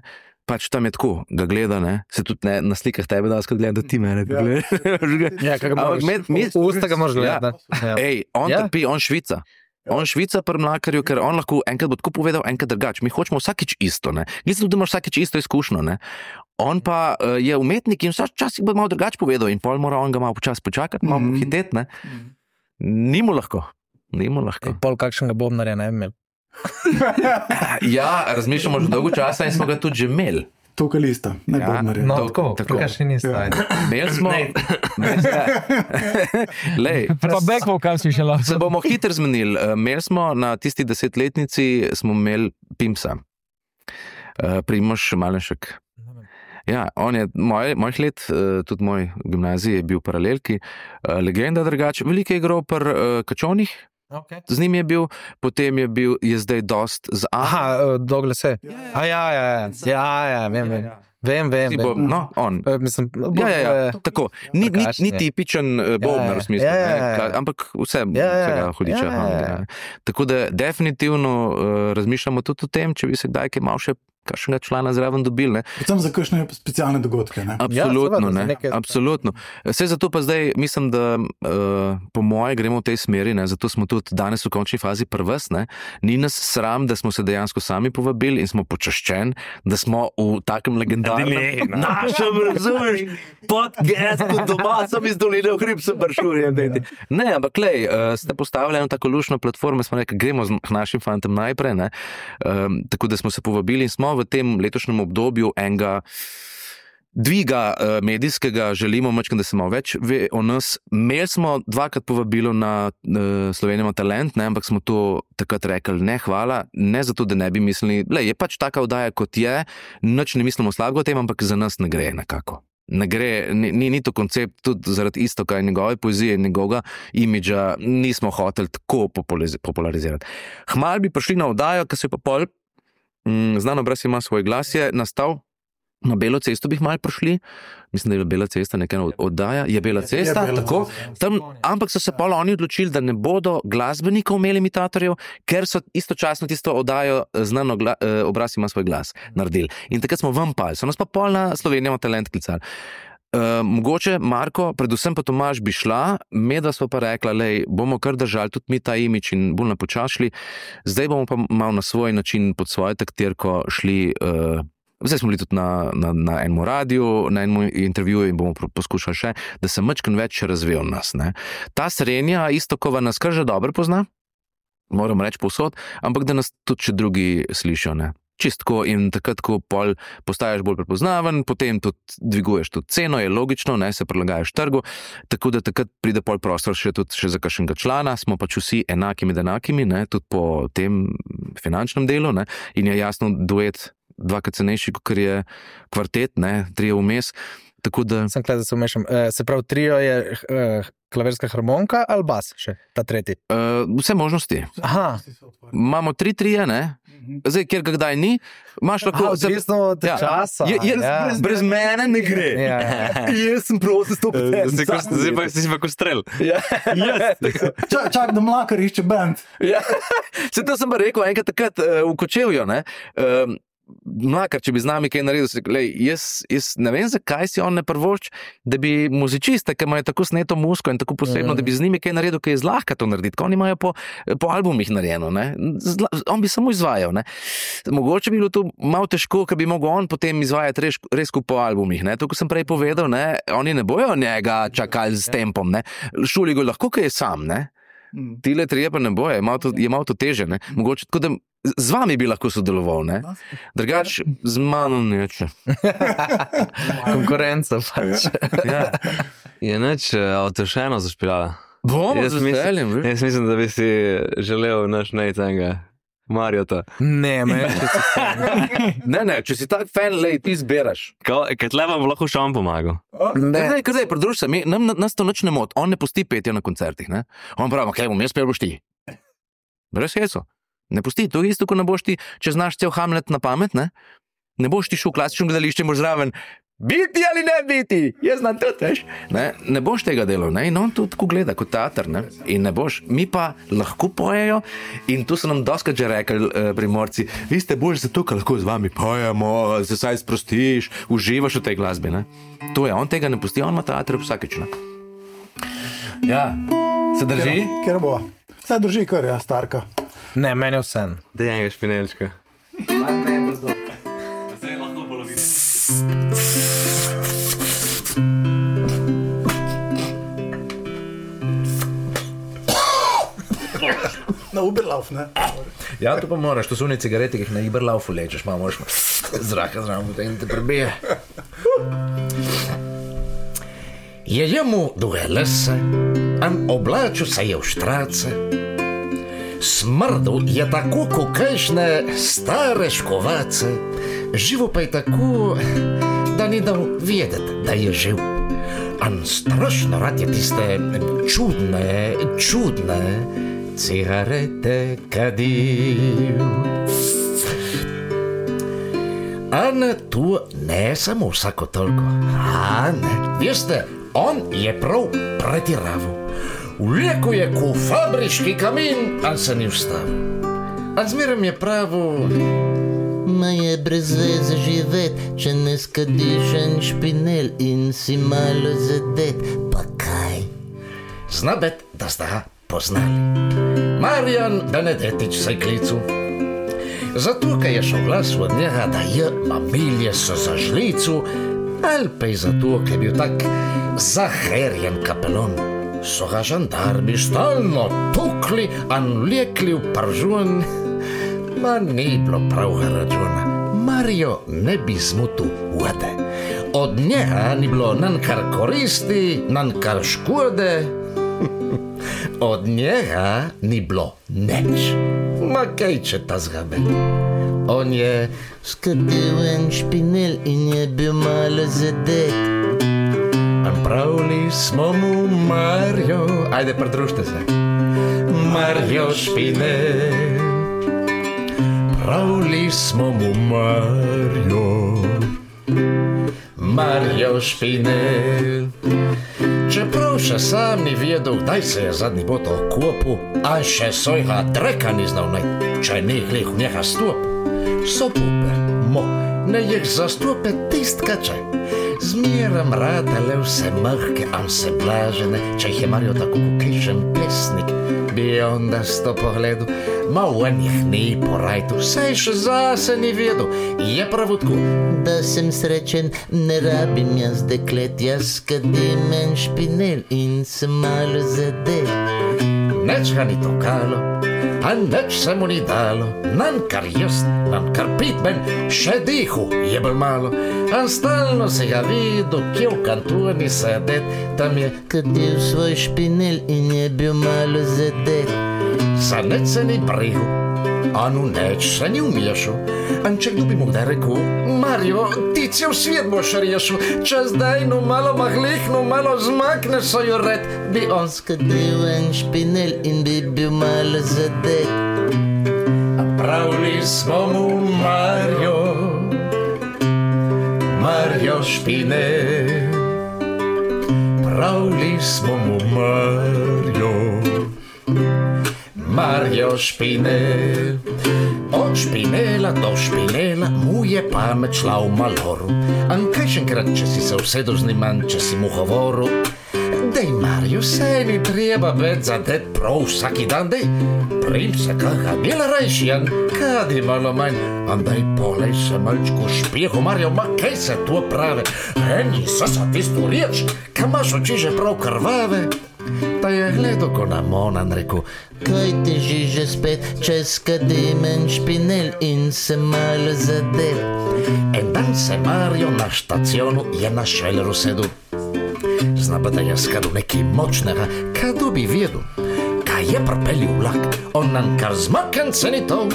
Pač tam je tako, ga gleda, ne? Se tudi ne, na slikah tebe da skrat gleda, da ti mene ja. Gledaš. Ja, kako moraš, v usta ga moraš gledati. Ja. Ej, on ja. Trpi, on švica. On švica pri Mlakarju, ker on lahko enkrat bo tako povedal, enkrat drugače. Mi hočemo vsakič isto, ne. Mislim, da imaš vsakič isto izkušnjo, ne. On pa uh, je umetnik in včasih bo malo drugače povedal in pol mora on ga malo počas počakati, malo mm. hiteti, ne. Ni mu lahko. Ni mu lahko. Pol kakšnega bobnarja ne imel. Ja, razmišljamo že dolgo časa in smo ga tudi že imeli. Vokalista, ne ja, bobnarja. No, tako, tako. Kaj še niste. Imeli smo... Lej, Pa back vokal si še lahko. se bomo hitro zmenili. Imeli smo na tisti desetletnici smo imeli Pimsa. Primož Malenšek. Ja, on je moj, mojih let, tudi moj gimnazij je bil paralelki, legenda drugače, veliko je igral pri Kačonih, Okay. z njim je bil, potem je bil, je zdaj dost z A. Aha, Doglase. A ja, ja, ja, ja, ja, vem, vem. Vem, vem, Bo, vem. no, on. E, Mislim, Ja, ja, ja, eh, tako. Ni, ni, ni tipičen uh, bobnar v smislu, Ja, ja, ja. ne, ka- ampak vse, Ja, ja, vsega hudiča. ja, ja, ja. Tako da definitivno uh, razmišljamo tudi o tem, če bi se kdaj kaj malo še kakšnega člana zraven dobili, ne. Predvsem za kakšne specialne dogodke, ne? Absolutno, seveda, za ne, nekaj- absolutno. Vse zato pa zdaj mislim, da uh, po moje gremo v tej smeri, ne, zato smo tudi danes v končni fazi pri vas, ne. Ni nas sram, da smo se dejansko sami povabili in smo počaščeni, da smo v takem legendarnem našem, razumeš, podcastu doma, sem iz doline v hrib, sem bršurjem, dejte. Ne, ampak lej, uh, ste postavili eno tako lušno platformo, smo rekli, gremo z k našim fantom najprej, ne, um, tako da smo se povabili in smo v tem letošnjem obdobju enega dviga uh, medijskega, želimo mačkam, da se malo več ve o nas. Imeli smo dvakrat povabilo na uh, Slovenija ima talent, ne, ampak smo to takrat rekli, ne, hvala, ne zato, da ne bi mislili, le, je pač taka oddaja, kot je, nič ne mislimo slabega o tem, ampak za nas ne gre nekako. Ne gre, ni, ni, ni to koncept, tudi zaradi isto, kaj njegove poezije in njegovega imidža nismo hoteli tako populariz- popularizirati. Hmal bi prišli na oddajo, ki se je pa pol Mm, Znano brez ima svoj glas, je nastal na Belo cesto, bi malo prišli, mislim, da je Bela cesta nekaj oddaja, je Bela cesta, Bela tako, cesta. tam, ampak so se pol oni odločili, da ne bodo glasbenikov imeli imitatorjev, ker so istočasno tisto oddajo Znano gla, eh, obraz ima svoj glas naredili. In takrat smo vam pali, so nas pa pol na Slovenija ima talent klicali. Uh, mogoče, Marko, predvsem pa Tomaž bi šla, medva smo pa rekla, lej, bomo kar držali tudi mi ta imič in bolj napočašli, zdaj bomo pa malo na svoj način pod svojo taktirko šli, uh, zdaj smo bili tudi na, na, na enem radiju, na enem intervjuju in bomo poskušali še, da se mačkan več razvije od nas. Ne. Ta Srenja, isto kova nas kar že dobro pozna, moram reči povsod, ampak da nas tudi še drugi slišijo, ne. Čistko in takrat, ko pol postaješ bolj prepoznaven, potem tudi dviguješ tudi ceno, je logično, ne, se prilagajaš trgu, tako da takrat pride pol prostor še tudi še za kakšnega člana, smo pač vsi enaki med enakimi, ne, tudi po tem finančnem delu, ne, in je jasno duet dvakrat cenejši, kot je kvartet, ne, trije vmes, tako da... Sem gleda, da se umešam. E, se pravi, trio je e, klavirska harmonika ali bas še, ta tretji? Uh, vse možnosti. Aha. Imamo tri trije, ne, zdaj, kjer ga kdaj ni, imaš lahko... Aha, odvisno od Ja. časa. Je, je, ja. brez, brez mene ne gre. Ja. Jaz sem prosil sto Zdaj ko- zdaj pa si pa kot strel. Čak, čak, da Mlakar išče band. Ja. Se to sem pa rekel enkrat takrat uh, v Kočevju, ne. Um, Mlakar, če bi z nami kaj naredil, si rekel, lej, jaz, jaz ne vem, zakaj si on ne prvošč, da bi muzičiste, ki imajo tako sneto musko in tako posebno, mm. da bi z njimi kaj naredil, kaj je zlahka to narediti, ko oni imajo po, po albumih narejeno, ne. Zla, on bi samo izvajal, ne. Mogoče bi bilo to malo težko, ker bi mogel on potem izvajati res, res po albumih, ne. To, ko sem prej povedal, ne, oni ne bojo njega čakali s tempom, ne. Šuli ga lahko, kaj je sam, ne. Tile trije pa ne boje, je malo to, je malo to teže, ne. Mogoče tako, da z vami bi lahko sodeloval, ne. Drugač, z mano neče. Konkurenca pač. Ja. Je neč avtošeno zašpilala. Bomo Jaz z mislim- veseljem, veš. Jaz mislim, da bi si želel naš nejcenga Marjota. Ne, meni še Ne, ne, če si tak fan, lej, ti zberaš. Kaj tle vam lahko še on pomagal? Ne, ne, kar zdaj, pridruž se, mi, nam, nas to nič ne moti, on ne pusti petja na koncertih, ne. On pravi, kaj bom jaz pel, boš ti. Brez heco. Ne pusti, to je isto, ko ne boš ti, če znaš cel Hamlet na pamet, ne. Ne boš ti šel v klasično gledališče in boš zraven, biti ali ne biti, jaz znam tudi, veš. Ne, ne boš tega delal, ne, in on to tako gleda kot teater, ne, in ne boš. Mi pa lahko pojejo in tu so nam doskrat že rekli eh, Primorci, vi ste bolj zato, ker lahko z vami pojemo, se saj sprostiš, uživaš v tej glasbi, ne. To je, on tega ne pusti, on ima teater vsakeč, ne. Ja, se drži? Ker bo. Se drži kar, ja, starka. Ne, meni je vse. Dej enega špinelčka. Na Uberlauf, ne? Ja, to pa moraš, to so one cigarete, ki jih na Uberlaufu lečeš, malo moraš zraka zraven, potem te prebije. Je jemu duge lese, an oblačil se je v štrace. Smrdil je tako kokajšne stare škovace, živo pa je tako, da ni dal vedeti, da je živ. An strašno rad je tiste čudne, čudne cigarete kadil. A ne, tu ne samo vsako toliko. A ne, veste, on je prav pretiraval. Vlekel je ko fabrički kamin, a se ni vstavil. A zmeraj je pravil: Ma je brez veze živet, če ne skadiš en špinel in si malo zadet, pa kaj? Zna bet, da sta ga poznali. Marjan Benedetič se je klical. Zato, ker je šel glas od njega, da je mamilje so za žlicu, ali pa je zato, ker je bil tak zaherjen kapelon. So ga žandarmi stalno tukli, an vlekli v pržun. Ma ni bilo pravga računa. Mario ne bi zmutil vode. Od njega ni bilo nan kar koristi, nan kar škode. Od njega ni bilo neč. Ma kaj če ta zgabe. On je skadil en špinel in je bil malo zadet. An pravili smo mu Mario. Ajde, pridružite se. Mario špinel. Pravili smo mu Mario. Mario špinel. Čeprav še sam ni vedel, kdaj se je zadnji bot okopil, a še svojega dreka ni znal najti, če ne glih v njega stop. So puper, mo, ne jih zastope tist kačaj. Zmiram radele vse mrke, am se blažene, če jih je Mario tako kokejšen pesnik. Bi onda sto pogledu, ma v njih ni porajtu, saj še zase ni vedel, je pravutku. Da sem srečen, ne rabim jaz deklet, jaz skadim en špinel in sem malo zadet. Neč ga ni tokalo, a neč se mu ni dalo, nan kar jest, nan kar pitben, še dihu je bil malo. A stalno se ga videl, kje v kantoni sedet, tam je kadil svoj špinel in je bil malo zadet. Za neč se ni brigel, a nu neč se ni umješal. An če kdo bi mu kdaj rekel: Mario, ti cel svet boš rešil, če zdaj no malo mahlih, no malo zmakne svojo red, bi on skadil en špinel in bi bil malo zadet. A pravili smo mu Mario, Mario špinel. Pravili smo mu Mario, Mario špinel. Od špinela do špinela mu je pamet šla v maloru. An kajšenkrat, če si se usedel z njim, če si mu govoril: Dej, Mario, saj ni treba več zadet prav vsaki dan, dej. Prim se kaga bil rajšijan, kadi malo manj. An daj polej se malčku špijehu, Mario, ma kaj se to prave? Eni so sa tisto riječ, ka imaš oči že prav krvave. Pa je gledal ko na Monan, rekel: Kaj ti žiže spet, če skadim en špinel in se malo zadet. En dan se Mario na štacionu je na šveleru sedel. Zna pa, da je skadil nekaj močnega, kado bi vedel. Kaj je propelil vlak, on nam kar zmaken se ni to.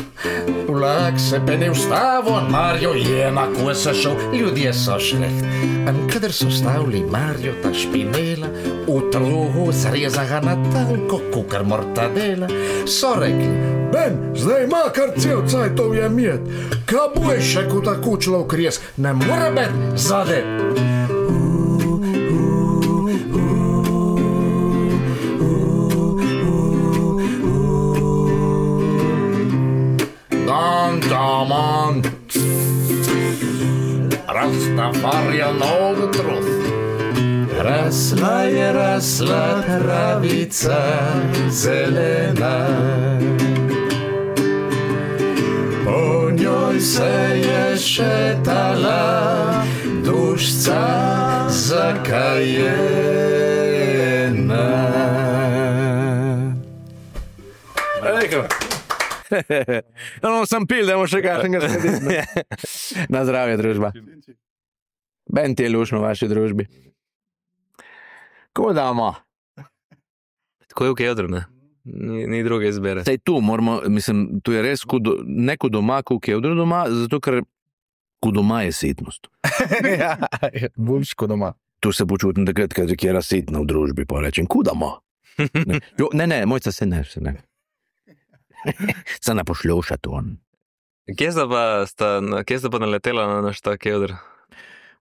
Vlak se pa ne vstavo, Mario je na kose šel, ljudje so šleht. An kadar so stavili Mario ta špinela, v truhu zreza ga na tanko, kukar mortadela, so rekli: Ben, zdaj ima kar cel cajtov je mjet, ka buješ še ko tako človek res, ne more bet zadet. Come on, Rastafarian all the truth. Rasla je rasla travica zelena, po njoj se je šetala dušca zakajena. No, no, sem pil, da bomo še kakšnega slediti. Na zdravje, družba. Ben ti je lušno v vaši družbi. Ko damo? Tako je v Keodru, ne? Ni, ni druge izbere. Sej tu moramo, mislim, tu je res kudo, ne kot doma, kot v Keodru doma, zato ker kot doma je sitnost. Ja, boljš kot doma. Tu se počutim takrat, ker je razsitno v družbi, pa rečem, kudamo. Ne, jo, ne, ne, mojca se ne, se ne. Se ne pošljuša to. Kje sta pa, sta, kje sta pa naletela na naš ta Keodr?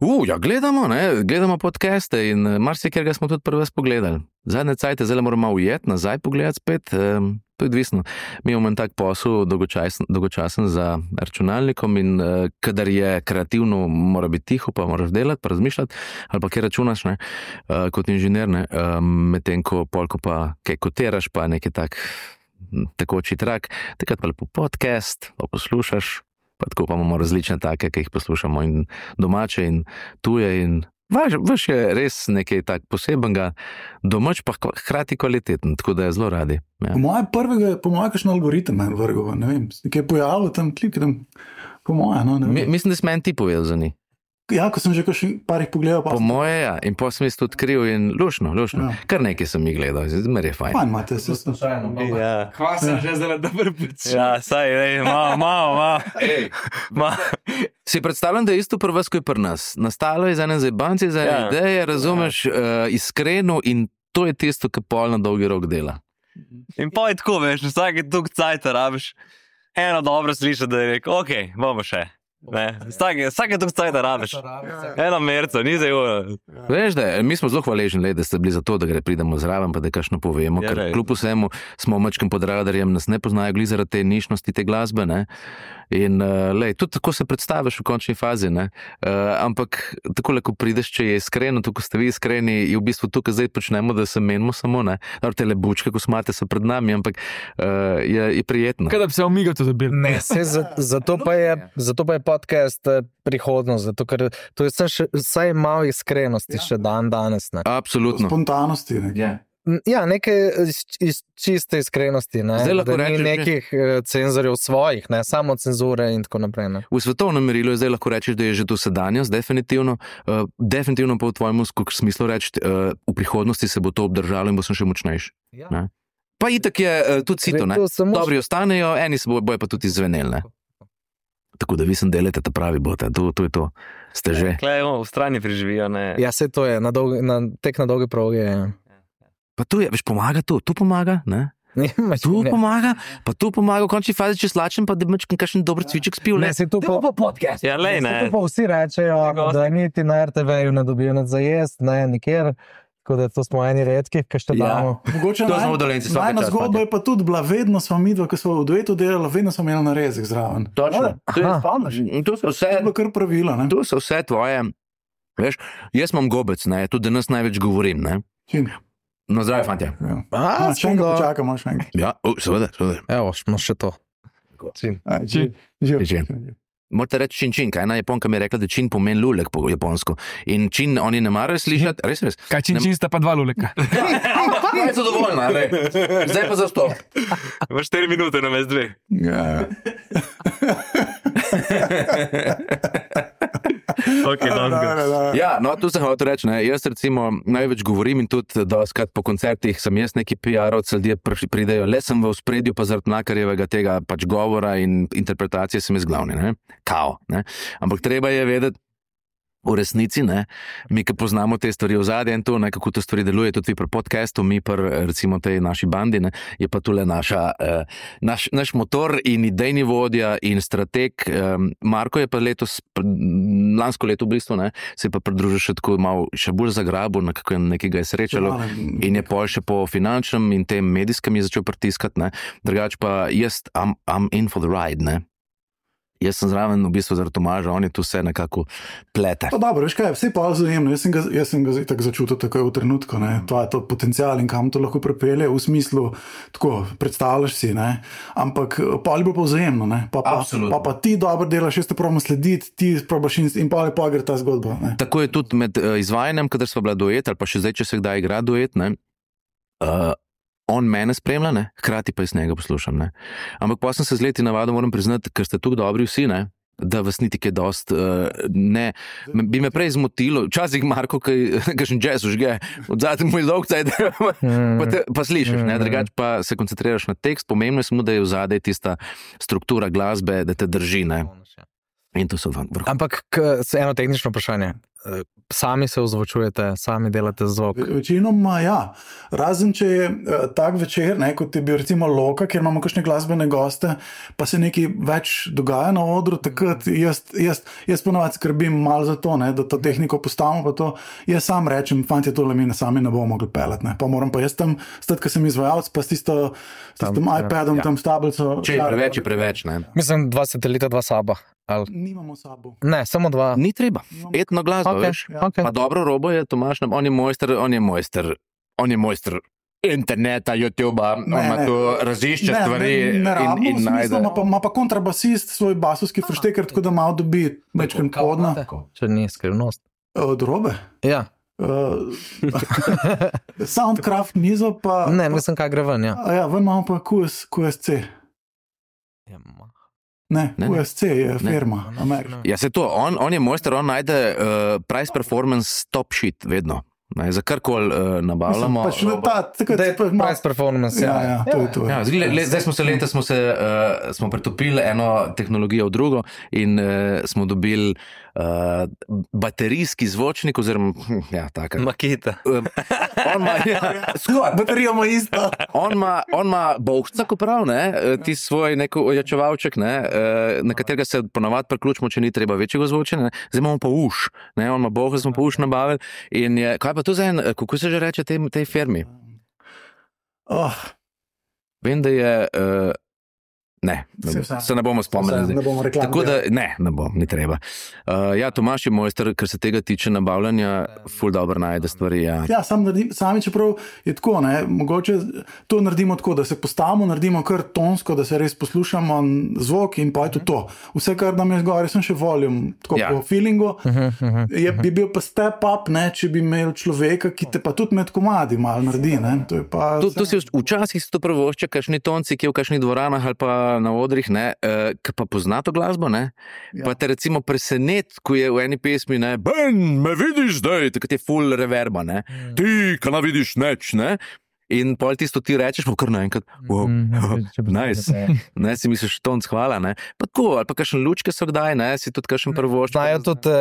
Uh, ja, gledamo, ne, gledamo podcaste in marsikaj smo tudi prvi pogledali. Zadnje cajte, zdaj moramo ujeti, nazaj pogledati spet, um, to je odvisno. Mi imamo en tak posel dolgočasen, dolgočasen za računalnikom in uh, kadar je kreativno, mora biti tiho, pa moraš delati, pa razmišljati, ali pa kje računaš, ne, uh, kot inženir, ne, um, medtem ko polko pa kaj kotiraš, pa nekaj tak tekoči trak, takrat pa lepo podcast, pa poslušaš, pa tako pa imamo različne take, ki jih poslušamo in domače in tuje in vaš, vaš je res nekaj tak posebenega, domač pa hkrati kvaliteten, tako da je zelo radi. Ja. Po moje prvega, po moje kakšen algoritem je vrgo, ne vem, nekaj je pojavilo tam klip, tam, po moje, no, ne vem. Mi, mislim, da si meni ti povedal za njih. Ja, ko sem že kakšen parih pogledal. Po moje, ja, in pa sem jaz tudi odkril in lušno, lušno. Ja. Kar nekaj sem jih gledal, zmer je fajn. Fajn imate, se slučajno. Ja. Hvala sem že zdaj dober pic. Ja, saj, ej, malo, malo, malo. Ma. Si predstavljam, da je isto pri vas, kot pri nas. Nastalo je za ene zajebanci, za ene Ja. ideje, razumeš, uh, iskreno in to je tisto, kar pol na dolgi rok dela. In pa je tako, veš, vsake tuk cajta rabiš, eno dobro sliša, da je rekel, ok, bomo še. Ne, vsake, vsake tuk cajta rabiš. Eno merco, ni zdaj uro. Veš, da je, mi smo zelo hvaležni, le, da ste bili za to, da gre pridemo zraven, pa da kakšno povemo, Ja, ker res. kljub vsemu smo mačkem pod radarjem, nas ne poznajo glih zaradi te nišnosti te glasbe, ne. In uh, lej, tudi tako se predstaviš v končni fazi, ne. Uh, ampak tako, ko prideš, če je iskreno, tako ste vi iskreni, je v bistvu tukaj zdaj počnemo, da se menimo samo, ne. Dobro, te lebučke, ko smate, so pred nami, ampak uh, je, je prijetno. Kaj da bi se omigato dobil? Ne, se, za, zato, pa je, zato pa je podcast eh, prihodnost, zato ker to je vse še, vsaj malo iskrenosti še dan danes. Ne. Absolutno. Spontanosti. Ne? Ja. Ja, nekaj iz, iz čiste iskrenosti, ne. Zdaj lahko Da ni rečeš, že- nekih eh, cenzorjev svojih, ne, samo cenzure in tako naprej. Ne. V svetovnem merilu je zdaj lahko rečeš, da je že to sedanjost, definitivno, uh, definitivno pa v tvojem smislu reči, uh, v prihodnosti se bo to obdržalo in bo sem še močnejši. Ja. Ne? Pa itak je uh, tudi sito, ne? To samo- Dobri ostanejo, eni se bojo, bojo pa tudi izveneli, ne? Tako da vi sem delate ta pravi bote, to, to je to, ste že. Klej, v strani preživijo, ne. Ja, se to je, na dolgi, na, tek na dolge proge je. Pa tu je, veš, pomaga to, tu pomaga, ne? Ne, Tu pomaga, pa tu pomaga, v končni fazi, če slačem, pa da imaš kakšen dober cviček spil, ne, ne? se to pa, podcast. Ja, lej, ne. to pa vsi rečejo, Gosti. da niti na er te ve-ju ne dobijo nič za jest, ne, nikjer. Tako da to smo eni redkih, ki še Ja. damo. Mogoče To smo naj- v Dolenci, svaka najna čast, zgodba fantje. je pa tudi bila, vedno smo mi dva, ki smo v duetu delali, vedno smo imeli narezek zraven. Točno. To je- Aha. In to so vse, To je bilo kar pravilo, ne? to so vse tvoje, veš, jaz imam gobec, ne, tudi danes največ govorim, ne? Čim? No, zdaj, fantje. Ja. A, A, še enkrat smo ga- počakamo, še enkrat. Ja, uh, seveda, seveda. Evo, smo še to. Aj, živ, živ. Živ. Morate reči čin čin, kaj ena Japonka mi je rekla, da čin pomeni lulek po japonsko. In čin oni ne marajo slišati, res, res. Kaj čin čin sta pa dva luleka? Je zadovoljna, ne? Zdaj pa za stop. Imaš štiri minute na mes dve. Ja. Ok, Da, no, da, da. Ja, no, tu sem hotel reči, ne, jaz recimo največ govorim in tudi doskrat po koncertih sem jaz neki P R-ovci, ljudje prišli- pridejo, le sem v ospredju pa zaradi Mlakarjevega tega pač govora in interpretacije sem jaz glavni, ne, kao, ne, ampak treba je vedeti, v resnici, ne, mi, ki poznamo te stvari ozadje in to, ne, kako to stvari deluje, tudi vi pri podcastu, mi pri recimo tej naši bandi, ne, je pa tule naša, eh, naš, naš motor in idejni vodja in strateg. Eh, Marko je pa letos, pr- lansko leto v bistvu, ne, se je pa pridružil še tako malo, še bolj zagrabil, nekako nekega je srečalo. In je pol še po finančnem in tem medijskem je začel pritiskati, ne. Drugač pa jaz, I'm, I'm in for the ride, ne. jaz sem zraven v bistvu zaradi Tomaža, on je tu vse nekako plete. Pa dobro, veš kaj, vse pa vzajemno, jaz sem ga, jaz sem ga tako začutil takoj v trenutku, ne, to je to potencial in kam to lahko prepelje, v smislu, tako, predstavljaš si, ne, ampak pa ali bo pa vzajemno, ne, pa pa, pa pa ti dobro delaš, jaz te probam slediti, ti probaš in, in pa ali pa gre ta zgodba, ne. Tako je tudi med uh, izvajanjem, kadar sva bila duet, ali pa še zdaj, če se kdaj igra duet, ne, uh, on mene spremlja, ne, hkrati pa jaz njega poslušam, ne. Ampak pa sem se z leti navadil, moram priznati, ker ste tukaj dobri vsi, ne, da vas niti kaj dost, uh, ne, bi me prej zmotilo, včasih Marko, kakšen jazz užge, odzadaj moj dolg cajt, pa, te, pa slišiš, ne, drugače pa se koncentriraš na tekst, pomembno je samo, da je vzadaj tista struktura glasbe, da te drži, ne. In to so vrh. Ampak eno tehnično vprašanje. Sami se ozvočujete, sami delate zvok? Večinoma ja. Razen, če je uh, tak večer, ne, kot je bil recimo Loka, kjer imamo kakšne glasbene goste, pa se nekaj več dogaja na odru, takrat jaz, jaz, jaz ponovadi skrbim malo za to, ne, da to tehniko postavimo, pa to jaz sam rečem, fantje, tole mi ne sami ne bomo mogli pelati, ne. Pa moram pa jaz tam, stati, ko sem izvajalc, pa s tisto, s tistim iPadom, ja. Tam s tablico. Če je preveč, je preveč, ne. Mislim, dva satelita, dva saba. Ali... Nimamo sabo. Ne, samo dva. Ni treba. Etno glasbo, okay, veš. Ja. Okay. Pa dobro robo je Tomaž, on je mojster, on je mojster, on je mojster interneta, YouTubea, on ima tu razišče ne, stvari ne, ne rabimo, in, in najde. Ima pa, pa kontrabasist svoj basovski fršteker, tako da malo dobi večkrat podna. Če ni skrivnost. Od robe? Ja. Uh, Soundcraft mizo pa... Ne, mislim, kaj gre ven, ja. A ja, ven imamo pa Q S C. Ja, Ne, ne, Q S C je firma. Ja, se to, on, on je mojster, on najde uh, price performance top shit, vedno. Ne, za karkoli uh, nabavljamo. Pač ta, tako, da je price performance, ja. Ja, ja, to je to. Ja, zdaj, le, zdaj smo se leta, smo se uh, smo pretopili eno tehnologijo v drugo in uh, smo dobili uh, baterijski zvočnik, oziroma, ja, taka. Maketa. Uh, on ima, ja, skor, baterijo ima isto. On ima, on ima bohca, ko prav, ne, ti svoj neko ojačevalček, ne, na katerega se ponavadi priključimo, če ni treba večjega zvočenja, ne. Zdaj imamo pa uš, ne, on ima bohca, smo pa uš nabavili in je, kaj pa to za en, kako se že reče tej, tej firmi? Oh. Vem, da je, uh, ne, ne se ne bomo spomnili. Ne bomo reklamili. Tako da, ne, ne bom, ni treba. Uh, ja, Tomaž je mojster, kar se tega tiče nabavljanja, ful dobro najde stvari, ja. Ja, sam naredim, sami čeprav je tako, ne, mogoče to naredimo tako, da se postavimo, naredimo kar tonsko, da se res poslušamo zvok in pa je to to. Vse, kar nam je zgore, sem še volume, tako ja. Po feelingu, je, bi bil pa step up, ne, če bi imel človeka, ki te pa tudi med komadi malo naredi, ne. To je pa... To, to si včasih si to prvošče, kakšni tonci, ki je v kakšnih dvoranah ali pa na odrih, ne, uh, ki pa pozna to glasbo, ne, ja. Pa te recimo presenet, ko je v eni pesmi, ne, Ben, me vidiš zdaj, tako je full reverba, ne, mm. Ti, kana vidiš neč, ne, in pol tisto ti rečeš, pa kar naenkrat, wow, mm, nice, ne, si misliš, tonc, hvala, ne, pa tako, ali pa kakšen lučke so kdaj, ne, si tudi kakšen prvošče. Znajo tudi,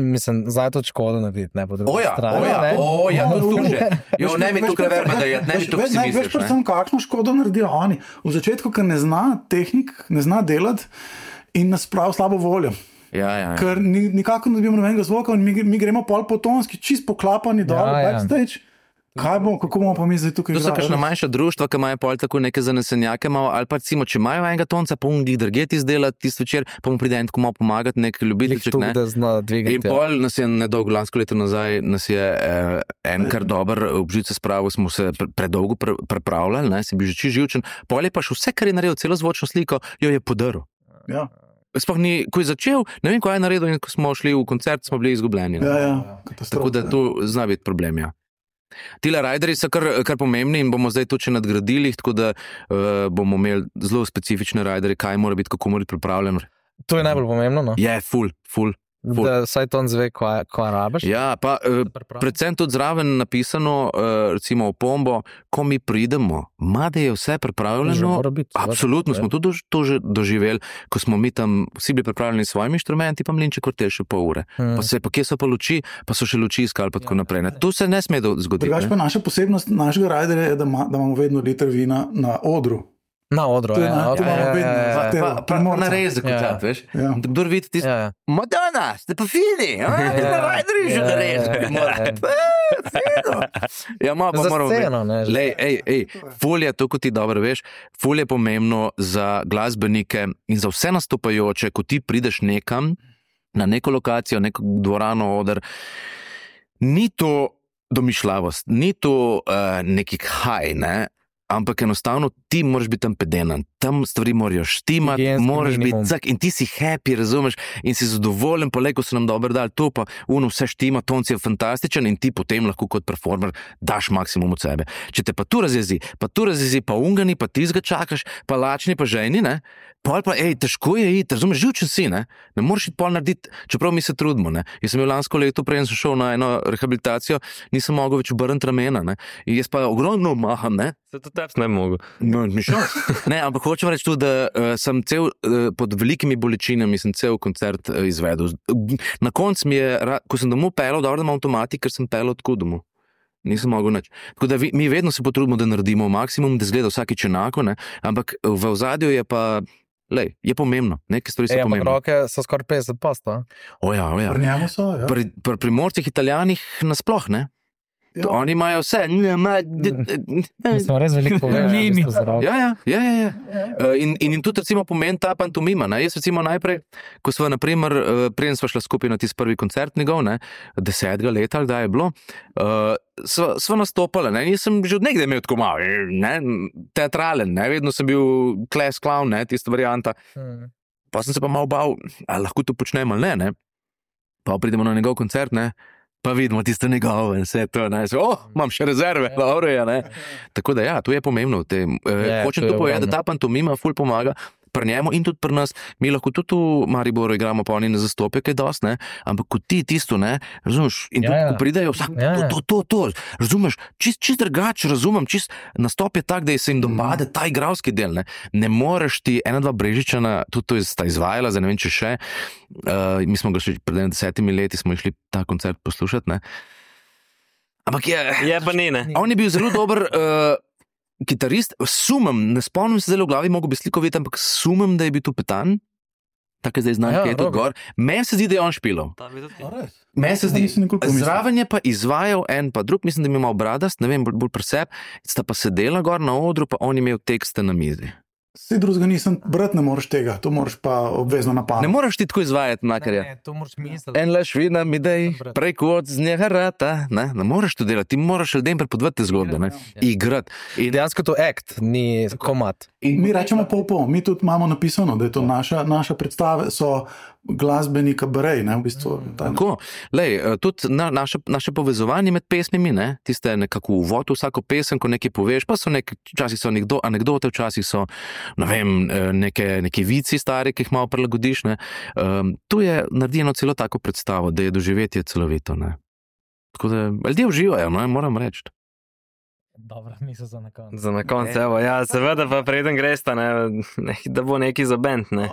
mislim, znajo tudi Škodo narediti, ne, po drugi oja, strani. Oja, ne? oja, to tu že, jo, ne mi tukaj reverba, da je, ne mi tukaj si misliš, ne. Veš pa sem, kakšno Škodo naredijo oni. V začetku, ker ne zna tehnik, ne zna delati in nas prav slabo voljo. Ja, ja, ja. Ker ni, nikako ne dobimo nobenega zvoka in mi, mi gremo pol potonski, čist poklapani dol, ja, backstage. Ja. Kaj bomo, kako bomo pa mi zdaj tukaj igrali? To so kakšna manjša društva, ki imajo pol tako neke zanesenjake, malo, ali pa recimo, če imajo enega tonca, pa on glih drget izdelati tisti večer, pa mu pride en tako malo pomagati, nek ljubiteljček, ne. In pol nas je nedolgo, lansko leto nazaj, nas je eh, en kar dober obžice spravil, smo se pre, predolgo pre, prepravljali, ne, si bil že čist živčen, pol je pa še vse, kar je naredil, celo zvočno sliko, jo je podaril. Ja. Sploh ni, ko je začel, ne vem, ko je naredil in ko smo šli v koncert, smo bili izgubljeni. Ja, ja, tako da tu zna biti problem, ja. Tile riderji so kar, kar pomembni in bomo zdaj to še nadgradili, tako da uh, bomo imeli zelo specifične riderje, kaj mora biti, kako mora biti pripravljeno. To je najbolj pomembno, no? Je, ful, ful. Ful. Da saj ton zve, kva, kva rabiš. Ja, pa uh, predvsem tudi zraven napisano, uh, recimo v pombo, ko mi pridemo, mada je vse pripravljeno, biti, absolutno smo tudi to že doživeli, ko smo mi tam vsi bili pripravljeni s svojimi inštrumenti, pa mlinček vrtel še pol ure. Hmm. Pa se, pa kje so pa luči, pa so še luči iskali, pa tako ja, naprej. Ne? To se ne sme zgoditi. Drugač pa naša posebnost našega riderja je, da, ma, da imamo vedno liter vina na odru. Na odru, To je ja, na- to okay, imamo ja, vedno, ja, ja. zahtevo. Pa, pa Primorca. na res za koncert, Ja. veš. Ja. Kdor vidi tisto, Ja, ja. Madonna, ste pa fini, a? Ja. Na rajderi že Ja, na res. ja, ja, Mora- ja. Eh, fino. Ja, malo pa Za moramo sceno, ne, že. Lej, ej, ej, folija, to kot ti dobro veš, folija je pomembno za glasbenike in za vse nastopajoče, ko ti prideš nekam, na neko lokacijo, neko dvorano, oder, ni to domišljavost, ni to uh, neki haj, ne? Ampak enostavno ti moraš biti tam pedenan, tam stvari morajo štimati, Higienski moraš minimum. biti cak in ti si happy, razumeš, in si zadovoljen, pa le, ko so nam dobro dali to, pa uno vse štima, tonc je fantastičen in ti potem lahko kot performer daš maksimum od sebe. Če te pa tu razjezi, pa tu razjezi, pa ungani, pa ti zga čakaš, pa lačni, pa ženi, ne, pol pa, ej, težko je iti, razumeš, živčen si, ne, ne moreš iti pol narediti, čeprav mi se trudimo, ne. Jaz sem bil lansko leto, preden sem šel na eno rehabilitacijo, nisem mogel več obrniti ramena, ne, in jaz pa ogromno maham, ne. Se to teps ne mogo. No, mi šel. Ne, ampak hočem reči tudi, da uh, sem cel uh, pod velikimi bolečinami, sem cel koncert uh, izvedel. Na koncu mi je, ra- ko sem domov pelal, dobro, da imam avtomatik, ker sem pelal tako domov. Nisem mogel nič. Tako da vi, mi vedno se potrudimo, da naredimo maksimum, da zgleda vsakič enako, ne? Ampak v ozadju je pa, lej, je pomembno, neke stvari so Ej, ampak pomembne. roke so skoraj petdeset posto. O ja, o ja. Pri njemu so, ja. Pri, pri primorcih Italijanih nasploh, ne? Ja. Oni imajo vse. Ne, ma, d, Mi smo res veliko povedali. Mimi. Ja, ja, ja, ja, ja. Uh, in, in, in tudi recimo pomen ta pantomima. Ne? Jaz recimo najprej, ko sva naprimer, uh, preden sva šla skupaj na tisti prvi koncert njegov, ne, desetega leta, ali kdaj je bilo, uh, sva, sva nastopala. Ne? Jaz sem že od nekdaj imel tako malo, ne, teatralen, ne? Vedno sem bil class clown, ne, tista varianta. Hmm. Pa sem se pa malo bal, ali lahko to počnem ali ne, ne. Pa pridemo na njegov koncert, ne. Pa vidimo tisto njegovo in vse to, ne, so, oh, imam še rezerve, dobro je, ne. Tako da ja, to je pomembno. Te, eh, Je, hočem to je to povedati, da ogromno. ta pantomima ful pomaga pri njemu in tudi pri nas. Mi lahko tudi v Mariboru igramo, pa oni ne zastopijo kaj dosti, ne, ampak kot ti tisto, ne, razumeš, in Ja, tudi, ja. ko pridejo, vsak, Ja, ja. to, to, to, to, razumeš, čist, čist drugače razumem, čist nastop je tak, da se jim dopade ta igralski del, ne, ne moreš ti, ena, dva Brežičana, tudi to je sta izvajala, zdaj ne vem, če še, uh, mi smo ga še pred desetimi leti, smo išli ta koncert poslušati, ne. Ampak je, Je pa ni, ne. on je bil zelo dober uh, kitarist, sumem, ne spomnim se zdaj v glavi, mogo bi sliko videti, ampak sumem, da je bil tu Petan, tako je zdaj znam, Ja, ki je tu Robi. gor. Meni se zdi, da je on špilal. A res? Meni se zdi, Nisem nikoli pomislil. zraven je pa izvajal en pa drug, mislim, da je imel bradast, ne vem, bolj, bolj preseb, sta pa sedela gor na odru, pa on je imel tekste na mizi. Vse drugega nisem, brat ne moreš tega, to moraš pa obvezno Ne napadati. moreš ti tako izvajati, makarja. Ne, to moraš misliti. En laš vina mi dej, Brat. preko od z njega rata, ne, ne moreš to delati, ti moraš ljudem prepovedati te zgodbe, ne, igrati. In, Dejansko to act, ni komat. in Mi rečemo pol pol, mi tudi imamo napisano, da je to naša, naša predstave, so glasbeni kabarej, ne, v bistvu. Ta, Tako, lej, eh, tudi na, naše, naše povezovanje med pesmimi, ne, tiste nekako uvod v vsako pesem, ko nekaj poveš, pa so neki, včasih so anekdo, anekdote, včasih so, ne vem, eh, neke, neke vici stari, ki jih malo prilagodiš, ne. Um, tu je naredi celo tako predstavo, da je doživetje celovito, ne. Tako da ljudje uživajo, ne, moram reči. Dobro, misel za na koncu. Za na koncu, evo, ja, seveda pa preden greš, ne, ne, da bo neki za bend, ne.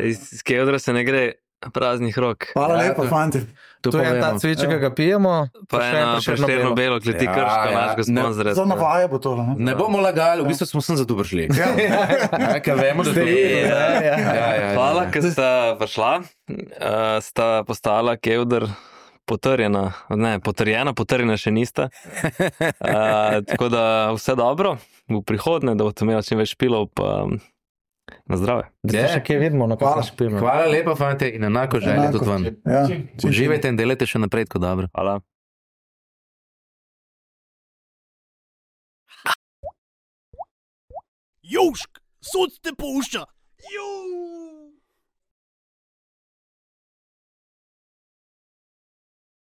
Iz, iz Keodra se ne gre praznih rok. Hvala Ja, lepa, to- fanti. To To je ta povemo. cviček, ki ga pijemo, Pa še eno Prešerno prešterno belo. belo, kleti Ja, krško, ja. našega Ne, sponzorja. Za navaje bo to. Ne? Ne bomo lagali, v bistvu smo sem za to prišli. Ja, ker vemo, da to Ja, ja, ja, ja. Hvala, ker sta prišla, uh, sta postala Keodr potrjena, ne, potrjena, potrjena še nista. Uh, tako da vse dobro v prihodnje, da boste imeli čim več špilov, pa na zdrave. Da Je. se še kje vidimo, na Hvala. kakšno špilno. Hvala lepa, fante, in enako želje Enako. tudi vam. Ja, čim, čim. Uživajte in delajte še naprej tako dobro. Hvala. Južk, sod te pušča. Južk.